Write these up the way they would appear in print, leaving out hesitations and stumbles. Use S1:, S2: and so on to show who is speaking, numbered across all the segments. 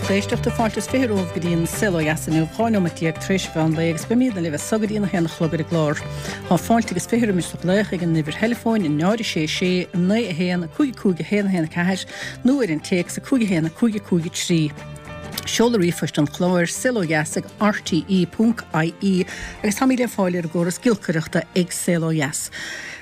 S1: Lucht éisteachta, fáilte is 20 romhaibh go dtí an Saol Ó Dheas inniu, 12 nóiméad tar éis an mheán lae agus beimidne libh as so go dtí an 1 a chlog ar an gclár. Tá fáilte agus 20 roimis do ghlaoch ag an uimhir theileafóin 0 6 6 9 1 5 5 1 1 4 nó ar an téacs 5 1 5 5 3. Seoladh ríomhphoist an chláir, saolodheas ag rte.ie agus táimid le fáil ar an gcóras giolcaireachta ag Saol Ó Dheas.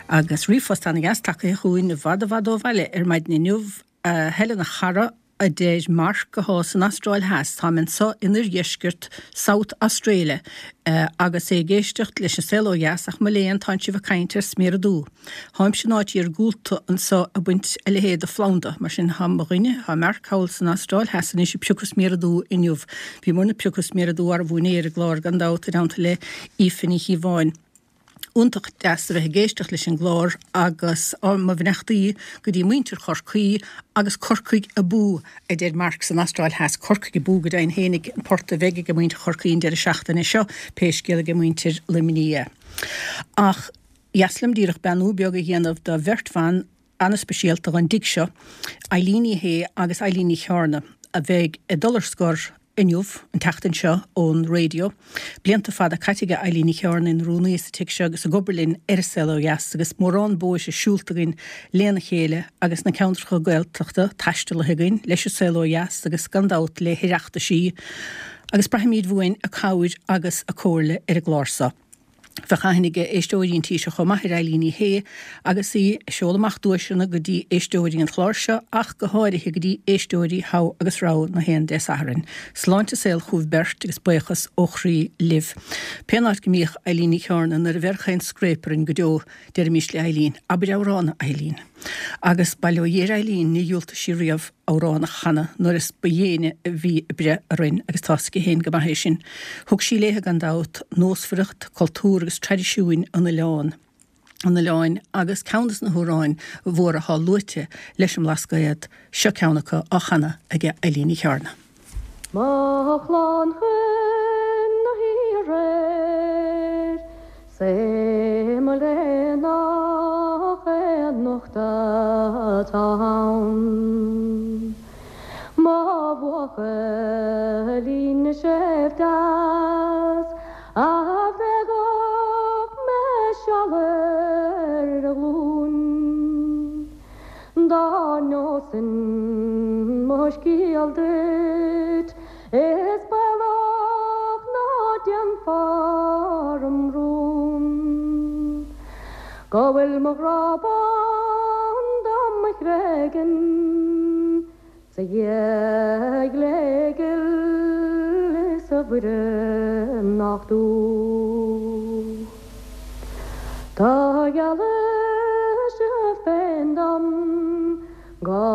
S1: Agus ríomhphost ana-dheas tagtha chugainn i bhfad i bhfad ó bhaile ar maidin inniu. A Helen a chara, a deir Mark athá san Astráil Theas, táim anso in oirdheisceart South Australia agus é ag éisteacht leis an Saol Ó Dheas ach mo léan tánn sibh ag caint ar sméara dubha. Tháimse in áit iargúlta anso ag baint a leithéid de phlanda, mar sin thá mo dhuine, thá Mark thall san Astráil Theas anois ag piocadh sméara dubha inniu. Bhíomarna ag piocadh sméara dubha arbú inné ar an gclár gan dabht i dteannta le Aoife Ní Chíobháin. Iontach deas a bheith ag éisteacht leis an gclár agus mo bheannachtaí go dtí muintir Chorcaí agus Corcaigh abú, a deir Mark san Astráil Theas. Corcaigh abú go deimhin fhéinig, an port a bheidh ag muintir Chorcaí an deireadh seachtaine seo, pé scéal ag muintir Luimnigh é. Ach dheas liom díreach beannú beag a dhéanamh do bheirt bhan ana-speisialta dhon dtigh seo, Eileen Ní Shé agus Eileen Ní Chearna, a bheidh ag dul ar scor inniu, an tseachtain seo, ón raidió. Blianta fada caite aige Eileen Ní Chearna ina rúnaí sa tigh seo agus ag obair linn ar An Saol Ó Dheas agus mórán bóithre siúlta againn lena chéile agus na ceantracha Gaeltachta taistealaithe againn leis An Saol Ó Dheas agus gan dabht le hOireachtaisí agus braithimid uainn a cabhair agus a comhairle ar an gclár seo. Bheadh aithne ag éisteoirí an tí seo chomh maith ar Eileen Ní Shé agus í ag seoladh amach duaiseanna go dtí éisteoirí an chláir seo ach go háirithe go dtí éisteoirí Thogh agus Rogha na haon Dé Sathairn. Sláinte is saol chugaibh beirt agus buíochas ó chroí libh. Pén áit go mbíodh Eileen Ní Chearna nuair a bheirfeadh aon scréip orainn go deo deirimís le Eileen, abair amhrán a Eileen. Agus bail ó Dhia ar Eileen ní dhiúltaigh sí riamh amhrán a chanadh nuair is ba dhéine a bhí ag breith orainn agus tá's aici féin go maith é sin. Thug sí léithe gan dabht, nósmhaireacht, cultúr agus traidisiúin an oileáin an oileáin agus ceann des na hamhráin mhóra athá luaite leis an mBlascaod, seo ceann acu á chanadh aige Eileen Ní Chearna.
S2: Mo chlann chun na haoir 'S é mo léan nach aon nochtadh atá ann. Mo bhuachaillín séimh deas a bhféadfadh mé seal ar a ghlúin. Dá neosainn mo scéal duit Is baolach ná déanfá orm rún Go bhfuil mo ghrá bán dá mo thréigean 'S a Dhia ghléghil is a Mhuire nach dúch Do gheallais féin dom Go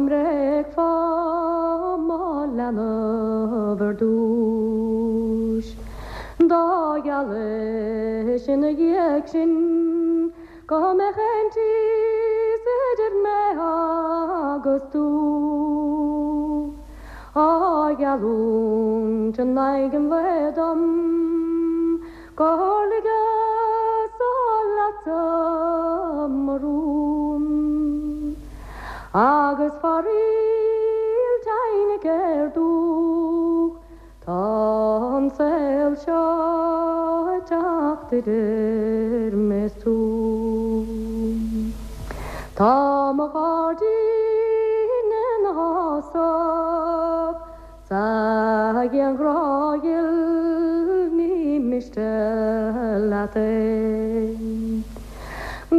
S2: mbréagfá mo leanbh ar dtúis. Do gheallais ina dhiaidh sin go mbeadh aontíos idir mé agus tú. Á gheallúint in aghaidh an lae dom. Gur ligeas-sa leatsa mo rún Agus faraoil teimhne ar dúch Tá an saol seo ag teacht idir mé 's tú. Tá mo ghairdín ina fhásach 'S a ghrianghrá ghil ní miste leat é.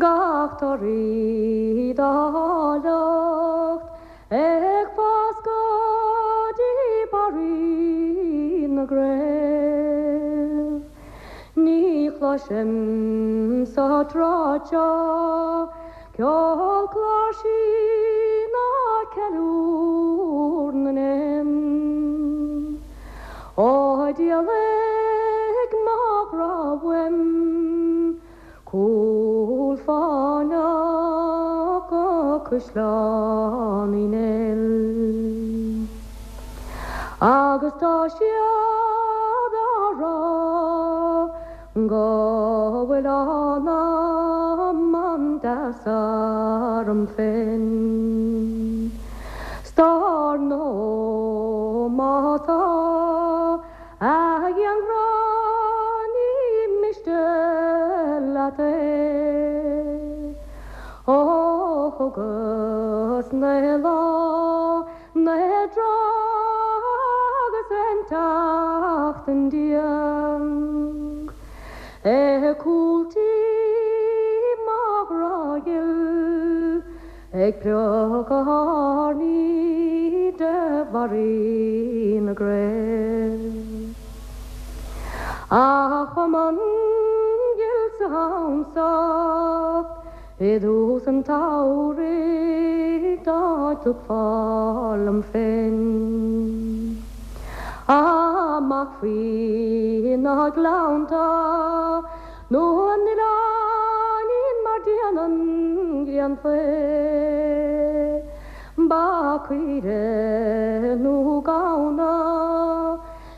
S2: Gach toradh dá áilleacht ag fás go dtí barraí na gcraobh. Ní chloisim sa tsráid seo Ceol cláirsí ná ceiliúr na n-éan. Ó d'éalaigh mo ghrá uaim, cúl fáinneach go Caisleán Uí Néill. Agus tá siad á rá Go bhfuil anam an-deas orm féin 'S dar ndóigh má. leat é. Ó thugas naoi lá, naoi dtráth agus aon tseachtain Ag cúl tí mo ghrá ghil Ag priocadh airní de bharraí na gcré. A chumann ghil sa shiamsacht i dtús an tsamhraidh dá dtiocfá liom féin amach faoi na gleannta nó an oileáinín mar déanann grian faoi ba caoire nó gamhna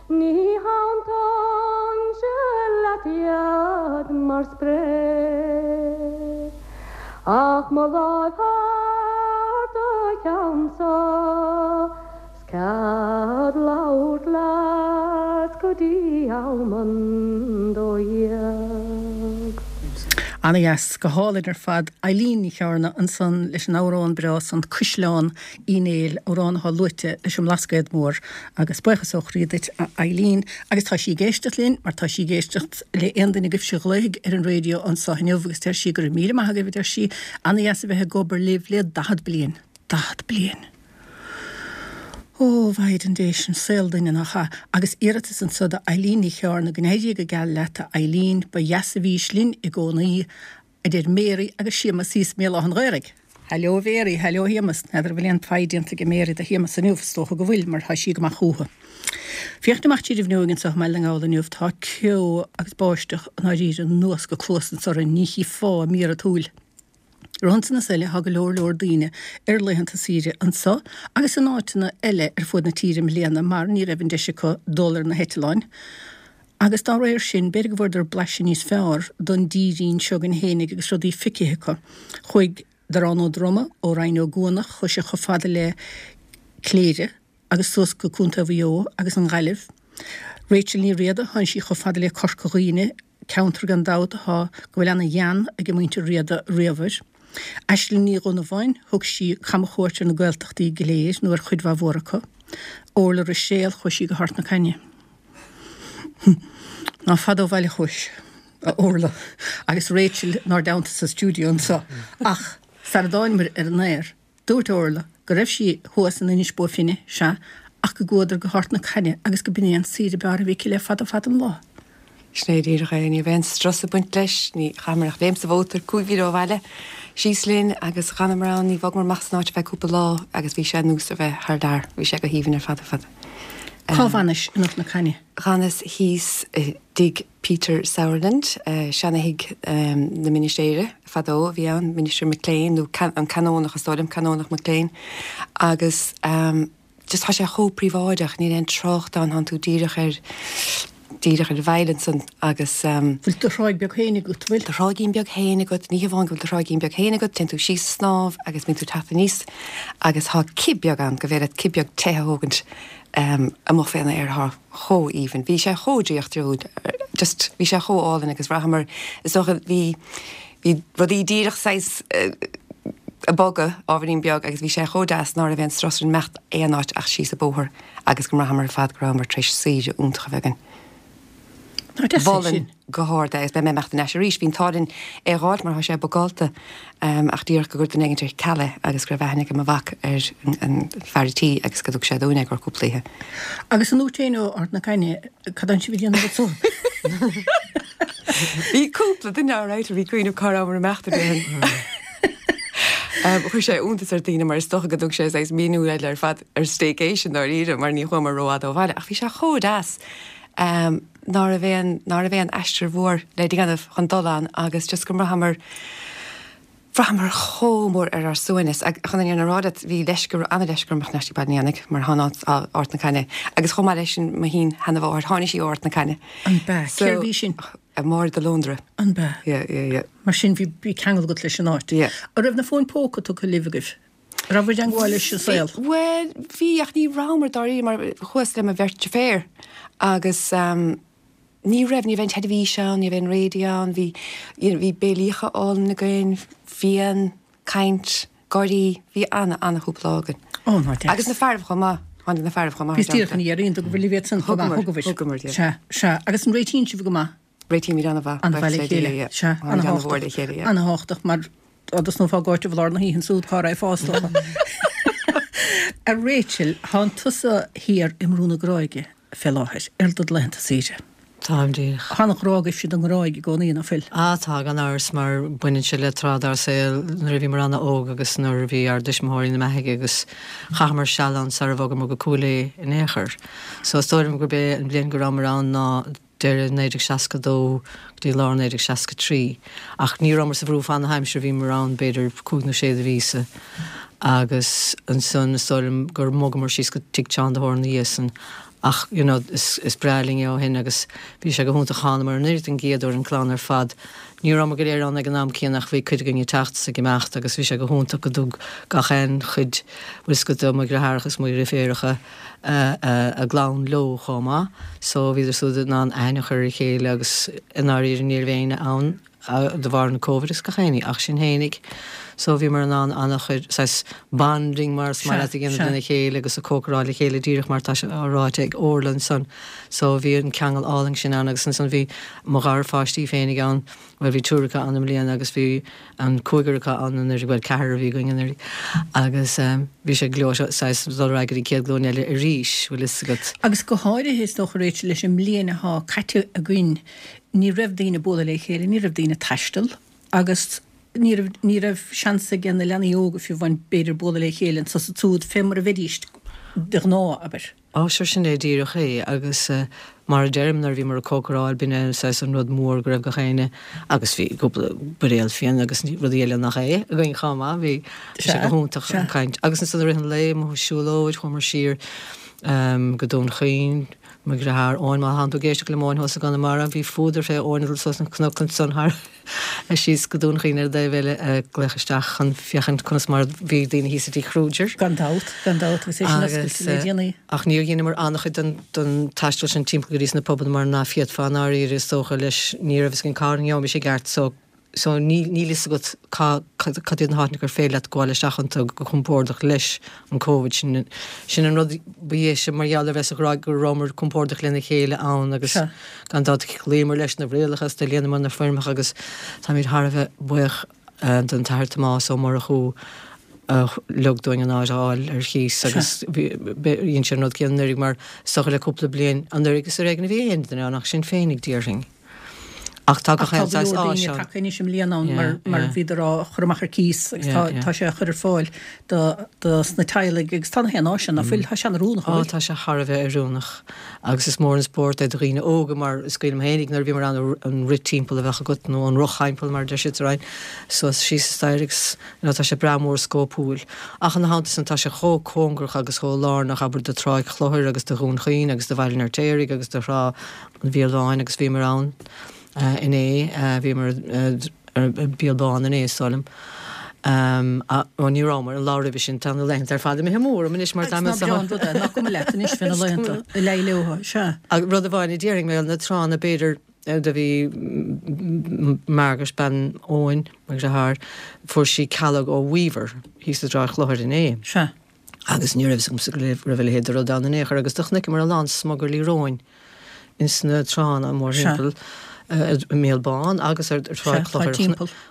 S2: Ní shantóinnse leat iad mar spré Ach mo láimh thar do cheannsa 's cead labhairt leat go dtí am an 12.
S1: Ana-dheas, go hálainn ar fad. Eileen Ní Chearna ansan leis an amhrán breá san Cuisleán Uí Néill, amhrán atá luaite leis an mBlascaod Mór, agus buíochas ó chroí duit a Eileen. Agus tá sí ag éisteacht linn, mar tá sí ag éisteacht le aon duine agaibhse a ghlaofaidh ar an raidió anso inniu, agus deir sí go raibh míle maith agaibh, a deir sí, ana-dheas a bheith ag obair libh le 40 bliain. 40 bliain! Ó, a Mhaighdean Dé, sin saol duine, nach ea? Agus iarratas anso do Eileen Ní Chearna, go n-éirí go geal leat, a Eileen, ba dheas a bhís linn i gcónaí, a deir Mary agus Séamus thíos i mBéal Átha an Ghaorthaidh. Hello a Mhary, hello a Shéamus. N'fheadar an bhfuil aon pie déanta ag Mary do Shéamus inniu, is dócha go bhfuil mar tá sí ag amach chúthu. Féachaint amach tríd an bhfuinneoig anseo i mBaile na nGall inniu, tá ceo agus báisteach i ndáiríre anuas go cluas anso orainn, ní chífeá mír an tsúil. Ar a shon san is uile tá go leor leor daoine ar laethanta saoire anso agus in áiteanna eile ar fuaid na tíre i mbliana mar ní raibh an deis acu dul ar na heitleáin. Agus dá réir sin, b'fhéidir go bhfuaireadar blaiseadh níos fearr don dtírín seo againn fhéinig agus rudaí feicthe acu. Chuaigh Darán Ó Droma ó Rinn Ó gCuanach, chuaigh sé chomh fada le Cléire agus suas go Contae Mhaigh Eo agus an Ghaillimh. Rachel Ní Riada, tháinig sí chomh fada le Corca Dhuibhne, ceantar gan dabht atá, go bhfuil ana-ghean ag muintir Riada riamh air. Aisling Ní Dhonnabháin, thug sí camchuairt ar na Gaeltachtaí go léir, nó ar chuid mhaith mhór acu. Orla Ruiséal, chuaigh sí go hArt na Caithne. Ná fada ó bhaile chuais, a Orla, agus Rachel 'nár dteannta sa stiúideo anseo. Ach sara dtáinmear ar an aer, dúirt Orla go raibh sí thuas in Inis Bó Finne, sea, ach go gcuadar go hArt na Caithne agus go b'in é an saoire b'fhearr a bhí aici le fada fada an lá.
S3: Sin é díreach é. Ní raibh aon strus ag baint leis. Ní chaitheamar ach léim sa mhótar 5 mhíle ó bhaile, síos linn agus dh'fhanamar ann. Ní bhogamar amach as an áit ar feadh cúpla lá agus bhí sé ar nós a bheith thar lear. Bhí sé go haoibhinn ar fad ar fad.
S1: Cá bhfanais in Ard na Caithne?
S3: Dh'fhanas thíos i dtigh Peter Sauerland, seana-thigh na ministéire fadó a bhí ann, Minister McLean, nó an Canónach is dóigh liom, Canónach McLean. Agus just tá sé chomh príobháideach, níl aon trácht ann, tánn tú díreach ar, díreach ar an bhfaill ansan agus.
S1: Bhfuil do thráigh beag féin agat, bhfuil?
S3: Do thráighín beag féin agat, ní hamháin go bhfuil do thráighín beag féin agat, téann tú síos ag snámh agus bíonn tú ag teacht aníos agus tá cith beag ann go bhféadfá cith beag te a thógaint amuigh fén aer thá chomh aoibhinn. Bhí sé chomh draíochtúil, just bhí sé chomh álainn agus bhraitheamar, is dócha, bhí, bhí rudaí díreach saghas ag bogadh ábhairín beag agus bhí sé chomh deas ná raibh aon strus orainn imeacht aon áit ach síos an bóthar agus go mbraitheamar ar fad go rabhamar tar éis saoire iontach a bheith againn.
S1: Nach deas é
S3: Mholfainn
S1: sin?
S3: go hard é agus beidh mé ag imeacht ar ais arís. Bhí an t-ádh linn é a dh'fháilt mar thá sé bookáilte ach díreach go gcuir duine éigint ar ceal é agus go raibh aithne ag mo mhac ar an fear a' tí agus go dtug sé dúinn é i gcomhair cúpla oíche.
S1: Agus an dúirt éinne ó Ard na Caithne cad tánn sibh ag déanamh anso?
S3: Bhí cúpla duine alright a bhí ag cuimhneamh cá rabhamar ag imeacht a déarfainn. Chuir sé iontas ar daoine mar is dócha go dtug sé saghas míniú eile ar fad ar staycation dáiríre mar ní chuamar rófhada ó bhaile ach bhí sé chomh deas. ná raibh aon, ná raibh aon aistear mhór le déanamh chun dul ann agus just go mbraitheamar, bhraitheamar chomh mór ar ár suaimhneas. Ach chun an fhírinne a rá leat, bhí leisce, ana-leisce orm imeacht ar ais go Baile an Éanaigh mar thá an Ard na Caithne agus chomh maith leis sin mo shin-sheanamháthair, tháinig sí ó Ard na Caithne.
S1: An b'ea?
S3: So,
S1: Cérbh í sin?
S3: Máire de Lóndra.
S1: An b'ea?
S3: Yeah, yeah, yeah.
S1: Mar sin bhí, bhí ceangal agat leis an áit.
S3: Yeah.
S1: An raibh na fóin póca tugtha libh agaibh? An raibh i dteangmháil leis an saol?
S3: Bhuel, bhí, ach ní rabhamar dáiríre mar chuas le mo bheirt deirféar agus. Ní raibh, ní raibh an teilifís ann, ní raibh an radio ann, bhí, you know, bhí béilíocha álainn againn, fíon, caint, gáirí, bhí ana, ana chúpla lá againn.
S1: Ó, ná deas.
S3: Agus na fearaibh chomh maith, tháinig na fearaibh chomh maith.
S1: Bhíos díreach chun iarraidh, an dtugaibh libh iad san chomh maith?
S3: Thugamar, thugamar,
S1: yeah. Sea, sea. Agus an réitíonn sibh go maith?
S3: Réitímid an-mhaith.
S1: An-mhaith le chéile, yeah. Sea,
S3: ana-mhór le chéile, yeah.
S1: Ana-thábhachtach mar dá dtosnófá ag áiteamh i lár na hoíche ansúd cá raghfá is dócha. A Rachel, thánn tusa thiar i mBrú na Gráige fé láthair, ar do laethanta saoire.
S4: Táim díreach.
S1: Tá an-ghrá agaibhse don nGráig i gcónaí, ná fuil?
S4: Ah tá, gan amhras, mar baineann sé le tráth dár saol nuair a bhíomar ana-óg agus nuair a bhí ár dtuismitheoirí ina mbeathaigh agus chaitheamar seal ann sara bhogamar go Cúil Aodha in aon chor. So is dóigh liom gurb é an bhliain go rabhamar ann ná deireadh 1962 go dtí lár 1963. Ach ní rabhamar sa Bhrú fad na haimsire, bhíomar ann b'fhéidir cúig nó sé de mhíosa agus ansan is dóigh liom gur bhogamar síos go tigh Tseán de hÓra ina dhiaidh san. Ach you know is breá linn é ó shin agus bhí sé go hiontach. Thánamar anuraidh den gcéad uair, an clann ar fad. Ní rabhamar go léir ann ag an am céanna ach bhí cuid againn ag teacht is ag imeacht agus bhí sé go hiontach go dtug gach aon chuid, bhfuil 's agat, de mo dhritheáracha is mo dhriféaracha, a gclann leo chomh maith so bhíodar súd in ann aithne a chur ar a chéile agus i ndáiríre ní raibh éinne ann de bharr an Covid agus gach éinní ach sinn fhéinig so bhíomar in ann an-chuid saghas bonding mar is maith leat a dhéanamh lena chéile agus ag cócaráil le chéile díreach mar atá sé á ráite ag Orla ansan so bhí an ceangal álainn sin ann agus ansan bhí mo gharpháistí féinig ann Bhuel, bhí triúr acu ann i mbliana agus bhí an cúigear acu ann anuraidh, bhuel, ceathrar a bhí againn anuraidh agus bhí sé gleoite saghas dul ar aghaidh go dtí an chéad ghlúin eile arís, bhfuil fhios agat.
S1: Agus go háirithe, is dócha, Rachel, leis an mbliain athá caite againn, ní raibh daoine ag bualadh le chéile, ní raibh daoine ag taisteal agus ní raibh, ní raibh seans ag na leanaí óga fiú amháin b'fhéidir bualadh le chéile anso is ansúd fé mar a bheidís de ghnáth, abair.
S4: Á, sure sin é díreach é agus mar a deirim nuair a bhíomar ag cócaráil b'in é saghas an rud mór go raibh gach éinne agus bhí cúpla buidéal fíona agus rudaí eile nach é againn chomh maith, bhí sé go hiontach an caint. Agus ansan i rith an lae amuigh ag siúlóid chuamar siar go Dún Chaoin, mo dhriotháir Eoin, má thánn tú ag éisteacht liom Eoin thuas i gConamara, bhí fuadar fé Eoin ag dul suas an cnoc ansan thar síos go Dún Chaoin ar an dtaobh eile ag glaoch isteach chun féachaint conas mar bhí daoine thíos i dTigh Kruger.
S1: Gan dabht, gan dabht, agus é sin oscailte le déanaí.
S4: Ach níor dheineamar an-chuid den den taisteal sin timpeall go dtí sna pubanna mar ná féadfá i ndáiríre is dócha leis ní raibh fhios againn cá ngeobhaimis i gceart so so níl níl fhios agat cá cad cad iad na háiteanna gur féidir leat gabháil isteach iontu go compordach leis an Covid sin sin an rud ba dheise mar gheall ar bheith sa Ghráig go rabhamar compordach lena chéile ann agus gan dabht chloíomar leis na rialacha is do líonamar na foirmeacha agus táimid thar a bheith buíoch don tAthair Tomás Ó Murchú a lig dúinn an áit a fháil ar chíos agus dhein sé an rud céanna anuraidh mar is dócha le cúpla bliain anuraidh is ar éigean a bhí aon duine ann ach sinn féinig déarfainn.
S1: Ach tá gach aon saghas áis ann. Ach tá go leor daoine tagtha anois i mbliana ann mar mar bhíodar á chur amach ar cíos agus tá tá sé á chur ar fáil do do sna teaghlaigh agus tá na haon áis ann ná fuil, tá sé an-oiriúnach
S4: Á tá sé thar a bheith oiriúnach agus is mór an spórt é do dhaoine óga mar is cuimhin liom fhéinig nuair a bhíomar ann an rith timpeall a bheadh agat nó an roth-thimpeall mar a deir siad sa Rinn suas síos an staighre agus you know tá sé breá mór scópúil. Ach ina theannta san tá sé chomh cóngarach agus chomh lárnach abair do Tráigh Chlochair agus do Dhún Chaoin agus do Bhaile an Fheirtéaraigh agus do Thrá an Mhíol Bháin agus bhíomar ann inné, bhíomar ar Bhéal Bán inné is dóigh liom. Ó ní rabhamar, an lá roimhe sin, tá na laethanta ar fad imithe amú orm anois mar tá mé
S1: Ná breá an rud é, nach cuma leat anois fé na laethanta, a leigh leo, sea.
S4: Rud amháin a déarfainn mé, na tránna b'fhéidir, do bhí Margaret, bean Eoin, mo dheartháir, fuair sí calóg ó Weaver thíos i dTráigh Chlochair inné.
S1: Sea.
S4: Agus ní raibh fhios agamsa go raibh a leithéid de rud ann in aon chor agus do chonaiceamar a lán smugairlí róin ins na tránna mórthimpeall i mBéal Bán agus ar Thráigh Chlochair.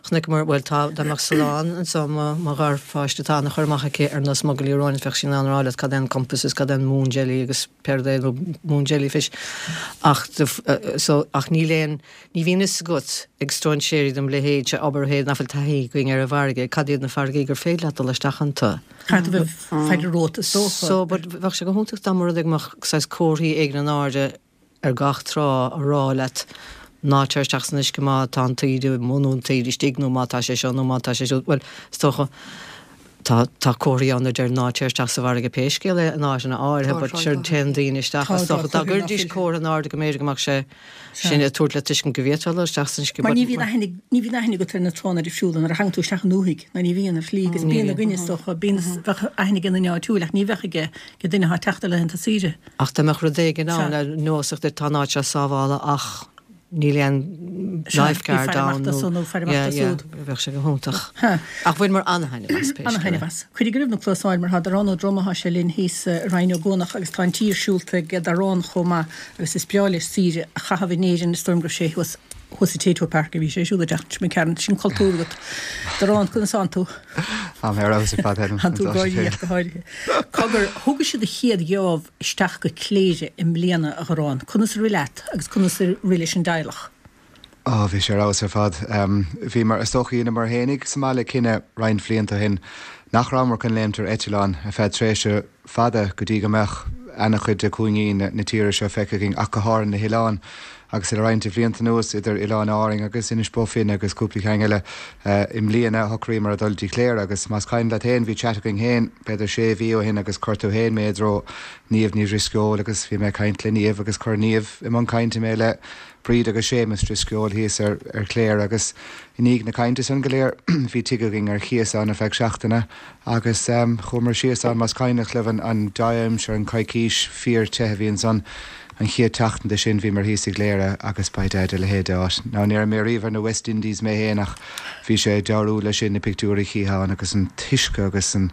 S4: Chonaiceamar, bhuel tá, dá mbeadh Solán anso, mo gharpháiste, tá ana-chur amach aici ar na smugairlí róin, bheadh sí in ann a rá leat cad é an compass is cad é an moon jelly agus pé rud é nó moon jellyfish ach so ach níl aon Ní bhíonn fhios agat ag stróinséirí de mo leithéidse, abair, féin nach bhfuil taithí againn ar an bhfarraige, cad iad na farraigí gur féidir leat dul isteach iontu.
S1: Caithfidh tú bheith ag faire romhat, is
S4: dócha. So, but bheadh sé go hiontach dá mba rud é go mbeadh saghas comharthaí éigin in airde ar gach trá a rá leat ná téir isteach san uisce má tá an taoide amuigh nó an taoide istigh nó má tá sé seo nó má tá sé siúd. Bhuel, is dócha. Tá tá comharthaí ann a deir ná téir isteach sa bhfarraige pé scéal é in áiteanna áirithe but sure téann daoine isteach is dócha dá gcuirdís comhartha in airde go mb'fhéidir go mbeadh sé sin ag tabhairt le tuiscint go bhféadfá dul isteach san uisce
S1: Mar
S4: but
S1: ní bhíonn aithne ní bhíonn aithne agat ar na tránna difriúla nuair a thagann tú isteach i ndúthaigh ná ní bhíonn ar shlí agus bíonn againne is dócha bíonn bheadh aithne ag an duine áitiúil ach ní bheadh ag ag duine atá ag teacht ar laethanta saoire.
S4: Ach dá mbeadh rud éigin ann le nós duit tá an áit seo sábháilte ach níl aon lifeguard ann nó yeah yeah bheadh sé go hiontach. Ach bhaineamar an-thaitneamh as pé scéal é.
S1: An-thaitneamh as. Cuirigí roimh na cluasáin mar tá Darán Ó Droma thá sé linn thíos i Rinn Ó gCuanach agus tá an tír siúlta ag Darán chomh maith agus is breá leis saoire a chaitheamh in Éirinn is dóigh liom go raibh sé thuas thuas i Tayto Park a bhí sé ag siúl an tseachtain seo imigh tharainn. Sin cultúr agat. Darán, conas tánn tú?
S5: Tá mé ar fheabhas ar fad Helen.
S1: Tánn tú gáirí ach go háirithe. Cogar, thugais do chéad gheábh isteach go Cléire i mbliana, a Dharáin. Conas a rith leat agus conas a rith leis an dteaghlach?
S5: Ó, bhí sé ar fheabhas ar fad. Bhíomar, is dócha, dheineamar fhéinig sa mbaile cinneadh roinnt bhlianta ó shin nach rabhamar chun léimt ar eitleán ar feadh tréimhse fada go dtí go mbeadh ana-chuid de chúingí na tíre seo feicthe againn ach go háirithe na hoileáin. Agus le roinnt de bhlianta anuas, idir Oileáin Árainn agus Inis Bó Finne agus cúpla ceann eile, i mbliana shocraíomar a dhul dtí Cléire agus más cuimhin leat féin bhí chat againn féin b'fhéidir sé mhí ó shin agus chuir tú féin mé i dtreo Niamh Ní Dhrisceoil agus bhí mé ag caint le Niamh agus chuir Niamh i mbun cainte mé le Bríd agus Séamus Drisceoil thíos ar Chléire agus i ndiaidh na cainte san go léir bhí tigh againn ar chíos ann ar feadh seachtaine Agus chuamar síos ann, más cuimhneach libh an dea-aimsir, an coicís fíor te a bhí ansan an chéad tseachtain de sin, bhíomar thíos i gCléire agus by dad a leithéid de áit. Now ní raibh mé riamh ar na West Indies mé fhéin ach bhí sé deabhrúil leis sin, na pictiúir a chítheá ann agus an t-uisce agus an,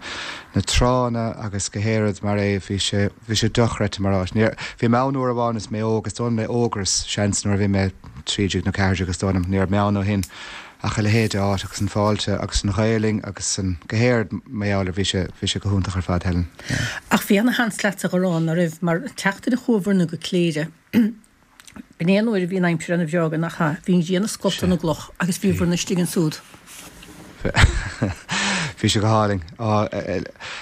S5: na tránna agus go háirid mar é, bhí sé, bhí sé dochreidte mar áit. Níor, bhí mé ann uair amháin is mé óg, is dóigh liom le Ógras, seans, nuair a bhí mé 13 nó 14 is dóigh liom, ní raibh mé ann ó shin. Ach a leithéid de áit agus an fáilte agus an Ghaelainn agus an, go háirid mar gheall air, bhí sé, bhí sé go hiontach ar fad, Helen.
S1: Yeah. Ach bhí ana-sheans leatsa a Dharán, ná raibh, mar an tseachtain a chuabhair-na go Cléire, b'in é an uair a bhí an aimsir ana-bhreágh, nach ea? Bhí an ghrian ag scoltadh na gcloch agus bhíobhair-na istigh ansúd.
S5: Bhí sé go hálainn. Á,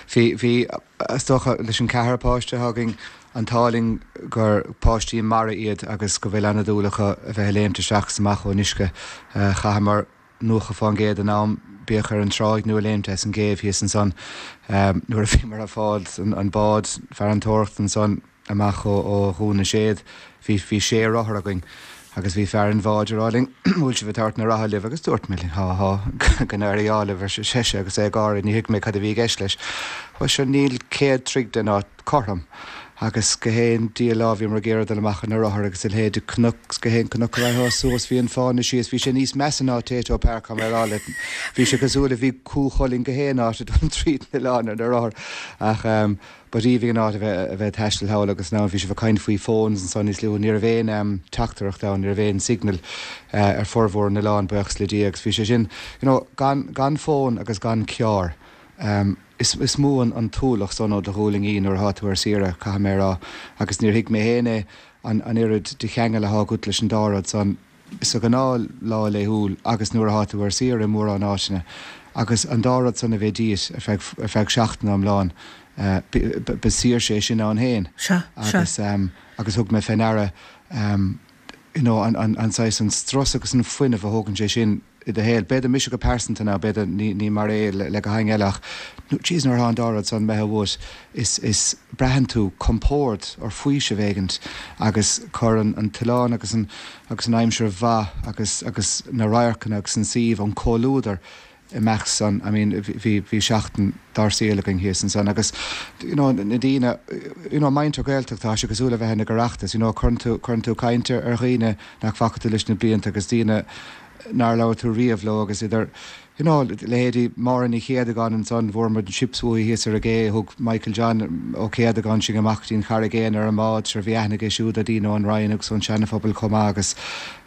S5: bhí, bhí, is dócha, leis an ceathrar páiste atá againn, an t-ádh linn gur páistí mara iad agus go bhfuil an-dúil acu a bheith ag léimt isteach is amach ón uisce. Chaitheamar 90% den am, bíodh ar an tráigh nó ag léimt as an gcéibh thíos ansan nuair a bhíomar ag fáil an bád farantóireachta ansan amach ó Dhún na Séad. Bhí bhí sé rothar againn agus bhí fear an bháid ag rá linn bhfuil sibh ag tabhairt na rothair libh agus dúirt mé há há go n-éirí ádh libh ar seisean agus é ag gáire ní thuig mé cad a bhí i gceist leis. Bhuel sure níl 100 troigh den áit cothrom agus go haon dia lá bhíomar ag iarraidh dul amach ar na rothair agus a leithéid de cnoc go haon cnoc a raghfá suas bhí an fáinne síos bhí sé níos measa ná Tayto Park tá mé ag rá leat bhí sé cosúil le bhí Cú Chulainn go haon áit ag dul tríd an oileán ar na rothair ach ba aoibhinn an áit a bheith a bheith ag taisteal thall agus now bhí sibh ag caint faoi phones ansan níos luaithe ní raibh aon teachtaireacht ann ní raibh aon signal ar formhór na n-oileán buíochas le Dia agus bhí sé sin you know gan gan fón agus gan carr Is is mó an t-ualach san ó do ghualainn nuair atá tú ar saoire, caithfidh mé a rá, agus níor thuig mé féin é, an an oiread de cheangal athá agat leis an dá rud san, sa ghnáth lá laethúil agus nuair athá tú ar saoire i mórán áiteanna. Agus an dá rud san a bheith díot ar feadh ar feadh seachtaine iomlán, ba saoirse é sin ann féin.
S1: Sea, sea.
S5: Agus agus thug mé fé ndeara, you know, an an an saghas an strus agus an fuinneamh a thógann sé sin, i do shaol. B'fhéidir mise go pearsanta now, b'fhéidir ní ní mar é le go héinne eile ach jeez nuair atá an dá rud san imithe uait is is braitheann tú compord or faoiseamh éigint agus cuireann an t-oileán agus an agus an aimsir mhaith agus agus na radharcanna agus an suíomh, an comhluadar i measc san, I mean bhí bhí seachtain dár saol againn thíos ansan agus you know na daoine you know muintir Gaeltachta tá sé cosúil le bheith ag Oireachtas you know cuireann tú cuireann tú caint ar dhaoine nach bhfaca tú leis na blianta agus daoine nár labhair tú riamh leo agus idir you know leithéidí Máire Ní Chéadagáin ansan, bhfuair muid chips uaithi thíos ar an gcé, thug Michael John Ó Céadagáin sinn amach go dtí an Charraig Aonair ar an mbád, sure bhí aithne aige siúd ar daoine ón Rinn agus ón Seana-Phobal chomh maith agus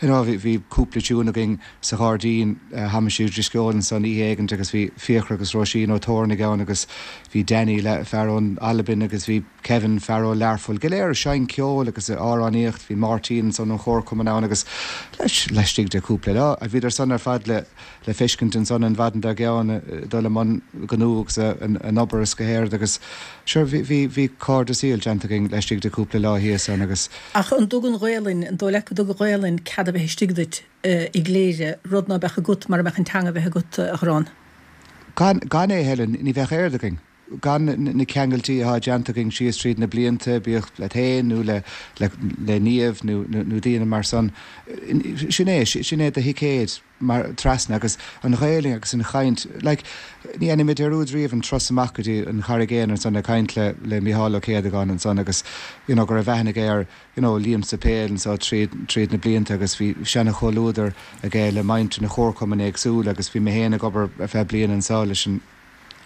S5: you know bhí bhí cúpla tiún againn sa ghairdín Thomasie Drisceoil ansan oíche éigint agus bhí Fiachra agus Róisín Ó Tóirnigh ann agus bhí Danny le fear ón Albain agus bhí Kevin, fear ó Learpholl, go léir ag seinnt ceoil agus ag amhránaíocht. Bhí Máirtín ansan ón chomharchumann ann agus laistigh de chúpla lá, bhíodar san ar fad le le feiscint ansan an mhaidin dár gceann ag dul i mbun gnó agus a n-obair is go héard agus sure bhí bhí bhí cairde saoil déanta againn laistigh de chúpla lá thíos ann agus
S1: Ach an dtug an Ghaelainn, an dóigh leat go dtug an Ghaelainn cead a bheith istigh duit i gCléire, rud ná beadh agat mara mbeadh an teanga a bheith agat, a Dharán?
S5: Gan, gan é, Helen, ní bheadh aird againn. Gan na ceangailtí atá déanta againn síos tríd na blianta, bíodh leat féin nó le, le, le Niamh nó, nó daoine mar san, sin é, sin é do thicéad mar, trasna agus an Ghaelainn agus an chaint, like, ní dhéanfaidh mé dearúd riamh an turas amach go dtí an Charraig Aonair ansan ag caint le, le Mícheál Ó Céadagáin ansan agus, you know, go raibh aithne aige ar, you know, Liam Suipéil anso tríd, tríd na blianta agus bhí seana-chomhluadar aige le muintir na chomharchumainn éagsúla agus bhí mé féin ag obair ar feadh bliana anso leis an,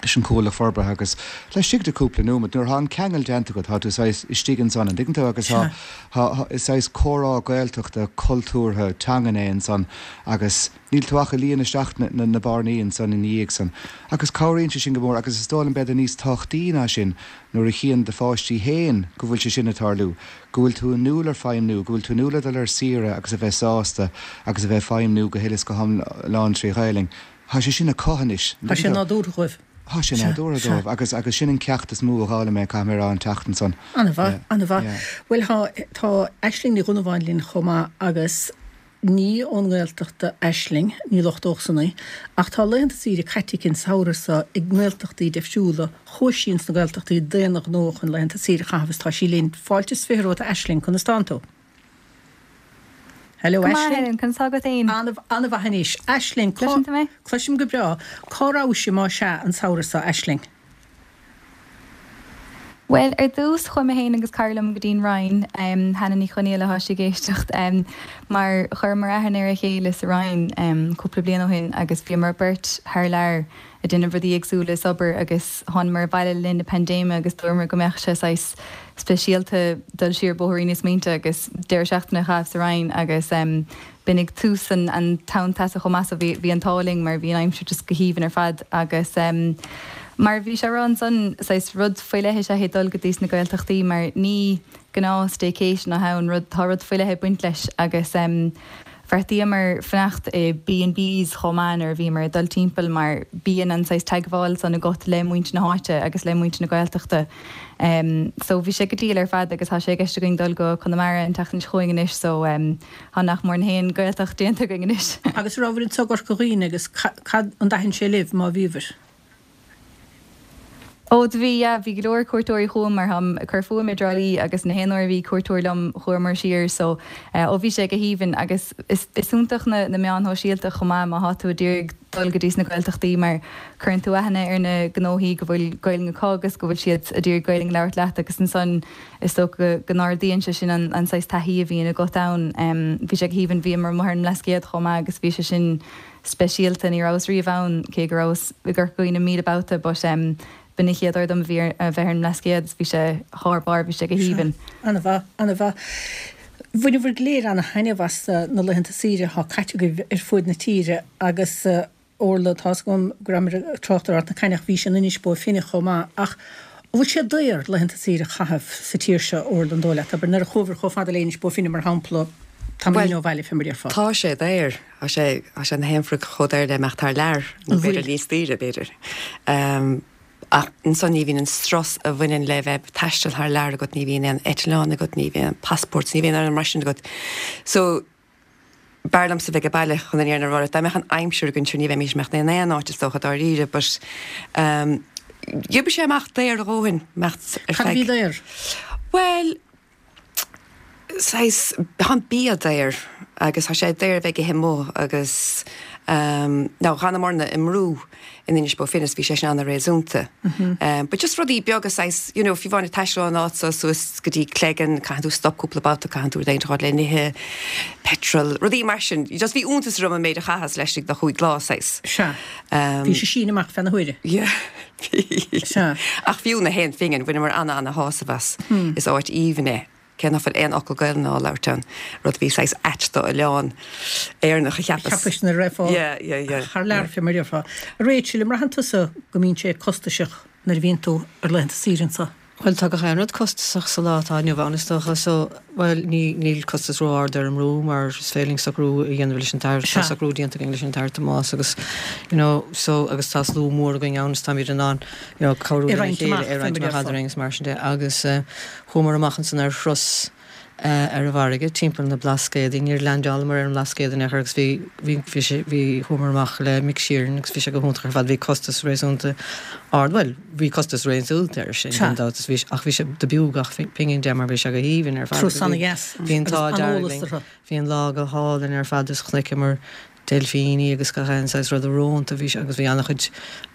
S5: leis an Chuallacht Forbartha agus laistigh de cúpla nóiméad nuair atá an ceangal déanta agat tá tú saghas istigh ansan, an dtuigeann tú, agus tá, tá, is saghas comhrá Gaeltachta cultúrtha teangan é ansan agus níl tú ach ag líonadh isteach na, na, na bearnaí ansan ina dhiaidh san agus cabhraíonn sé sin go mór agus is dóigh liom b'fhéidir níos tábhachtaí ná sin nuair a chíonn do pháistí féin go bhfuil sé sin ag tarlú, go bhfuil tú inniúil ar feidhmniú, go bhfuil tú inniúil ar dul ar saoire agus a bheith sásta agus a bheith ag feidhmniú go huile is go hiomlán trí Ghaelainn. Tá sé sin acu anois.
S1: Tá sé nádúrtha dóibh.
S5: Tá sé nádúrtha dóibh agus agus sin an ceacht is mó a d'fhoghlaim mé, caithfidh mé a rá, an tseachtain san.
S1: An-mhaith, an-mhaith. Bhuel, tá, tá Aisling Ní Dhonnabháin linn chomh maith agus ní ón nGaeltacht d'Aisling, ní lochtódh san í, ach tá laethanta saoire caite aici an samhradh seo i nGaeltachtaí difriúla. Chuaigh sí ins na Gaeltachtaí d'aon ghnó chun laethanta saoire a chaitheamh is tá sí linn. Fáilte is 20 romhat a Aisling, conas tánn tú? Hello
S6: Go maith, Aisling. Helen, conas tá agat féin?
S1: An-mhaith anois. Aisling, cá.
S6: Cloiseann tú mé?
S1: Cloisim go breá. Cá rabhais más ea an samhradh seo, Aisling?
S6: Bhuel, ar dtús, chuaigh mé féin agus cara liom go dtí'n Rinn, Hannah Ní Chonaola tá sí ag éisteacht, mar chuireamar aithne ar a chéile sa Rinn cúpla bliain ó shin agus bhíomar beirt thar lear ag déanamh rudaí éagsúla is obair agus thánamar abhaile le linn na paindéime agus dúramar go mbeadh sé saghas speisialta dul siar bóithrín na smaointe agus deireadh seachtaine a chaitheamh sa Rinn agus b'in ag tús an an tonn teasa chomh maith so bhí bhí an t-ádh linn mar bhí an aimsir just go haoibhinn ar fad agus mar a bhí sé a rá ansan saghas rud faoi leith is ea é dul go dtí sna Gaeltachtaí mar ní gnáth staycation atá ann rud tá rud faoi leith ag baint leis agus Bheartaíomar fanacht i B and Bs chomh maith nuair a bhíomar ag dul timpeall mar bíonn an saghas teagmháil san agat le muintir na háite agus le muintir na Gaeltachta. So bhí sé go diail ar fad agus tá sé i gceist againn dul go Conamara an tseachtain seo chugainn anois so tá nach mór na haon Gaeltacht déanta againn anois.
S1: Agus an rabhabhair anso i gCorca Dhuibhne agus cad, an dtaithin sé libh má bhíobhair?
S6: Ó do bhí, yeah, bhí go leor cuairteoirí chugam mar táim ag cur fúm i dTrá Lí agus na haon uair a bhí cuairteoir liom chuamar siar so ó bhí sé go haoibhinn agus is is iontach na na meáin shóisialta chomh maith má thá tú ag iarraidh dul go dtí sna Gaeltachtaí mar cuireann tú aithne ar na gnóthaí go bhfuil Gaelainn acu agus go bhfuil siad ag iarraidh Gaelainn a labhairt leat agus ansan is dócha go n-ardaíonn sé sin an an saghas taithí a bhíonn agat ann. Bhí sé go haoibhinn, bhíomar amuigh ar an mBlascaod chomh maith agus bhí sé sin speisialta. Ní rabhas riamh ann, cé go rabhas i gCorca Dhuibhne 1000 babhta, but em b'in an chéad uair dom a bhí ar, a bheith ar an mBlascaod is bhí sé thar barr, bhí sé go haoibhinn.
S1: An-mhaith, an-mhaith. Bhaineabhair go léir ana-thaitneamh as na laethanta saoire atá caite agaibh ar fuaid na tíre agus Orla, tá's agam go rabhamar ag trácht ar Ard na Caithne ach bhís in Inis Bó Finne chomh maith ach an bhfuil sé daor laethanta saoire a chaitheamh sa tír seo, Orla, an dóigh leat? Abair nuair a chuabhair chomh fada le Inis Bó Finne mar shampla, tamaillín ó bhaile fé mar a déarfá.
S3: Tá sé daor. Tá sé, tá sé na haon rud chomh daor le imeacht thar lear, nó b'fhéidir níos daoire, b'fhéidir. Ach ansan ní bhíonn an strus a bhaineann le bheith ag taisteal thar lear agat, ní bhíonn aon eitleán agat, ní bhíonn aon passport, ní bhíonn aon mar sin agat. So, b'fhearr liomsa bheith ag baile chun an fhírinne a rá leat. Dá mbeadh an aimsir againn, sure ní bheimís ag imeacht in aon áit is dócha dáiríre, but d'oibrigh sé amach daor a dhóthain, imeacht
S1: ar feadh. Cad a bhí daor?
S3: Bhuel, saghas, tá an bia daor agus tá sé daor a bheith ag ithe amuigh agus now dh'fhanamarna i mbrú in Inis Bó Finne is bhí sé sin ana-réasúnta. But just rudaí beaga saghas, you know, fiú amháin ag taisteal ón áit so suas go dtí Cleggan, caitheann tú stop cúpla babhta, caitheann tú rud éigin a fháil le n-ithe, petrol, rudaí mar sin. Just bhí iontas orm an méid a chaitheas laistigh de chúig lá
S1: saghas. Sea. Bhí sé sín amach feadh na huaire.
S3: Yeah. Sea. Ach fiú na haon phingin, bhaineamar ana-ana-shásamh as. Is áit aoibhinn é, cé nach bhfuil aon fhocal Gaelainne á labhairt ann, rud a bhí saghas ait do oileán Éireannach, a
S1: cheapas. Cheapais nuair a raghfá
S3: Yeah, yeah, yeah.
S1: thar lear, fé mar a déarfá. A Rachel, an mbraitheann tusa go mbíonn sé costasach nuair a bhíonn tú ar laethanta saoire anso?
S4: Bhuel, tá gach aon rud costasach sa lá atá inniu ann, is dócha. So, bhuel, ní, níl costas ró-ard ar an mbrú mar is féidir linn socrú a dhéanamh leis an tAthair, tá socrú déanta againn leis an Athair Tomás agus, you know, so, agus tá slua mór againn ann is táimid in ann, you know, cabhrú lena chéile, é a roinnt amach eadrainn agus mar sin de. Agus eh, chuamar amach ansan ar thuras. ar an bhfarraige timpeall na Blascaodaí. Níor leaindeálamar ar an mBlascaod in aon chor agus bhí, bhí, bhí sé, bhí, chuamar amach le Mick Sheeran agus bhí sé go hiontach ar fad. Bhí costas réasúnta ard, bhuel, bhí costas réasúnta air sin gan dabht is bhí, ach bhí sé, do b'fhiú gach pingin de mar bhí sé go haoibhinn ar fad agus bhí, bhí an t-ádh dearg linn. Bhí an lá go hálainn ar fad is chonaiceamar deilfíní agus gach aon saghas ruda rónta bhí sé agus bhí an-chuid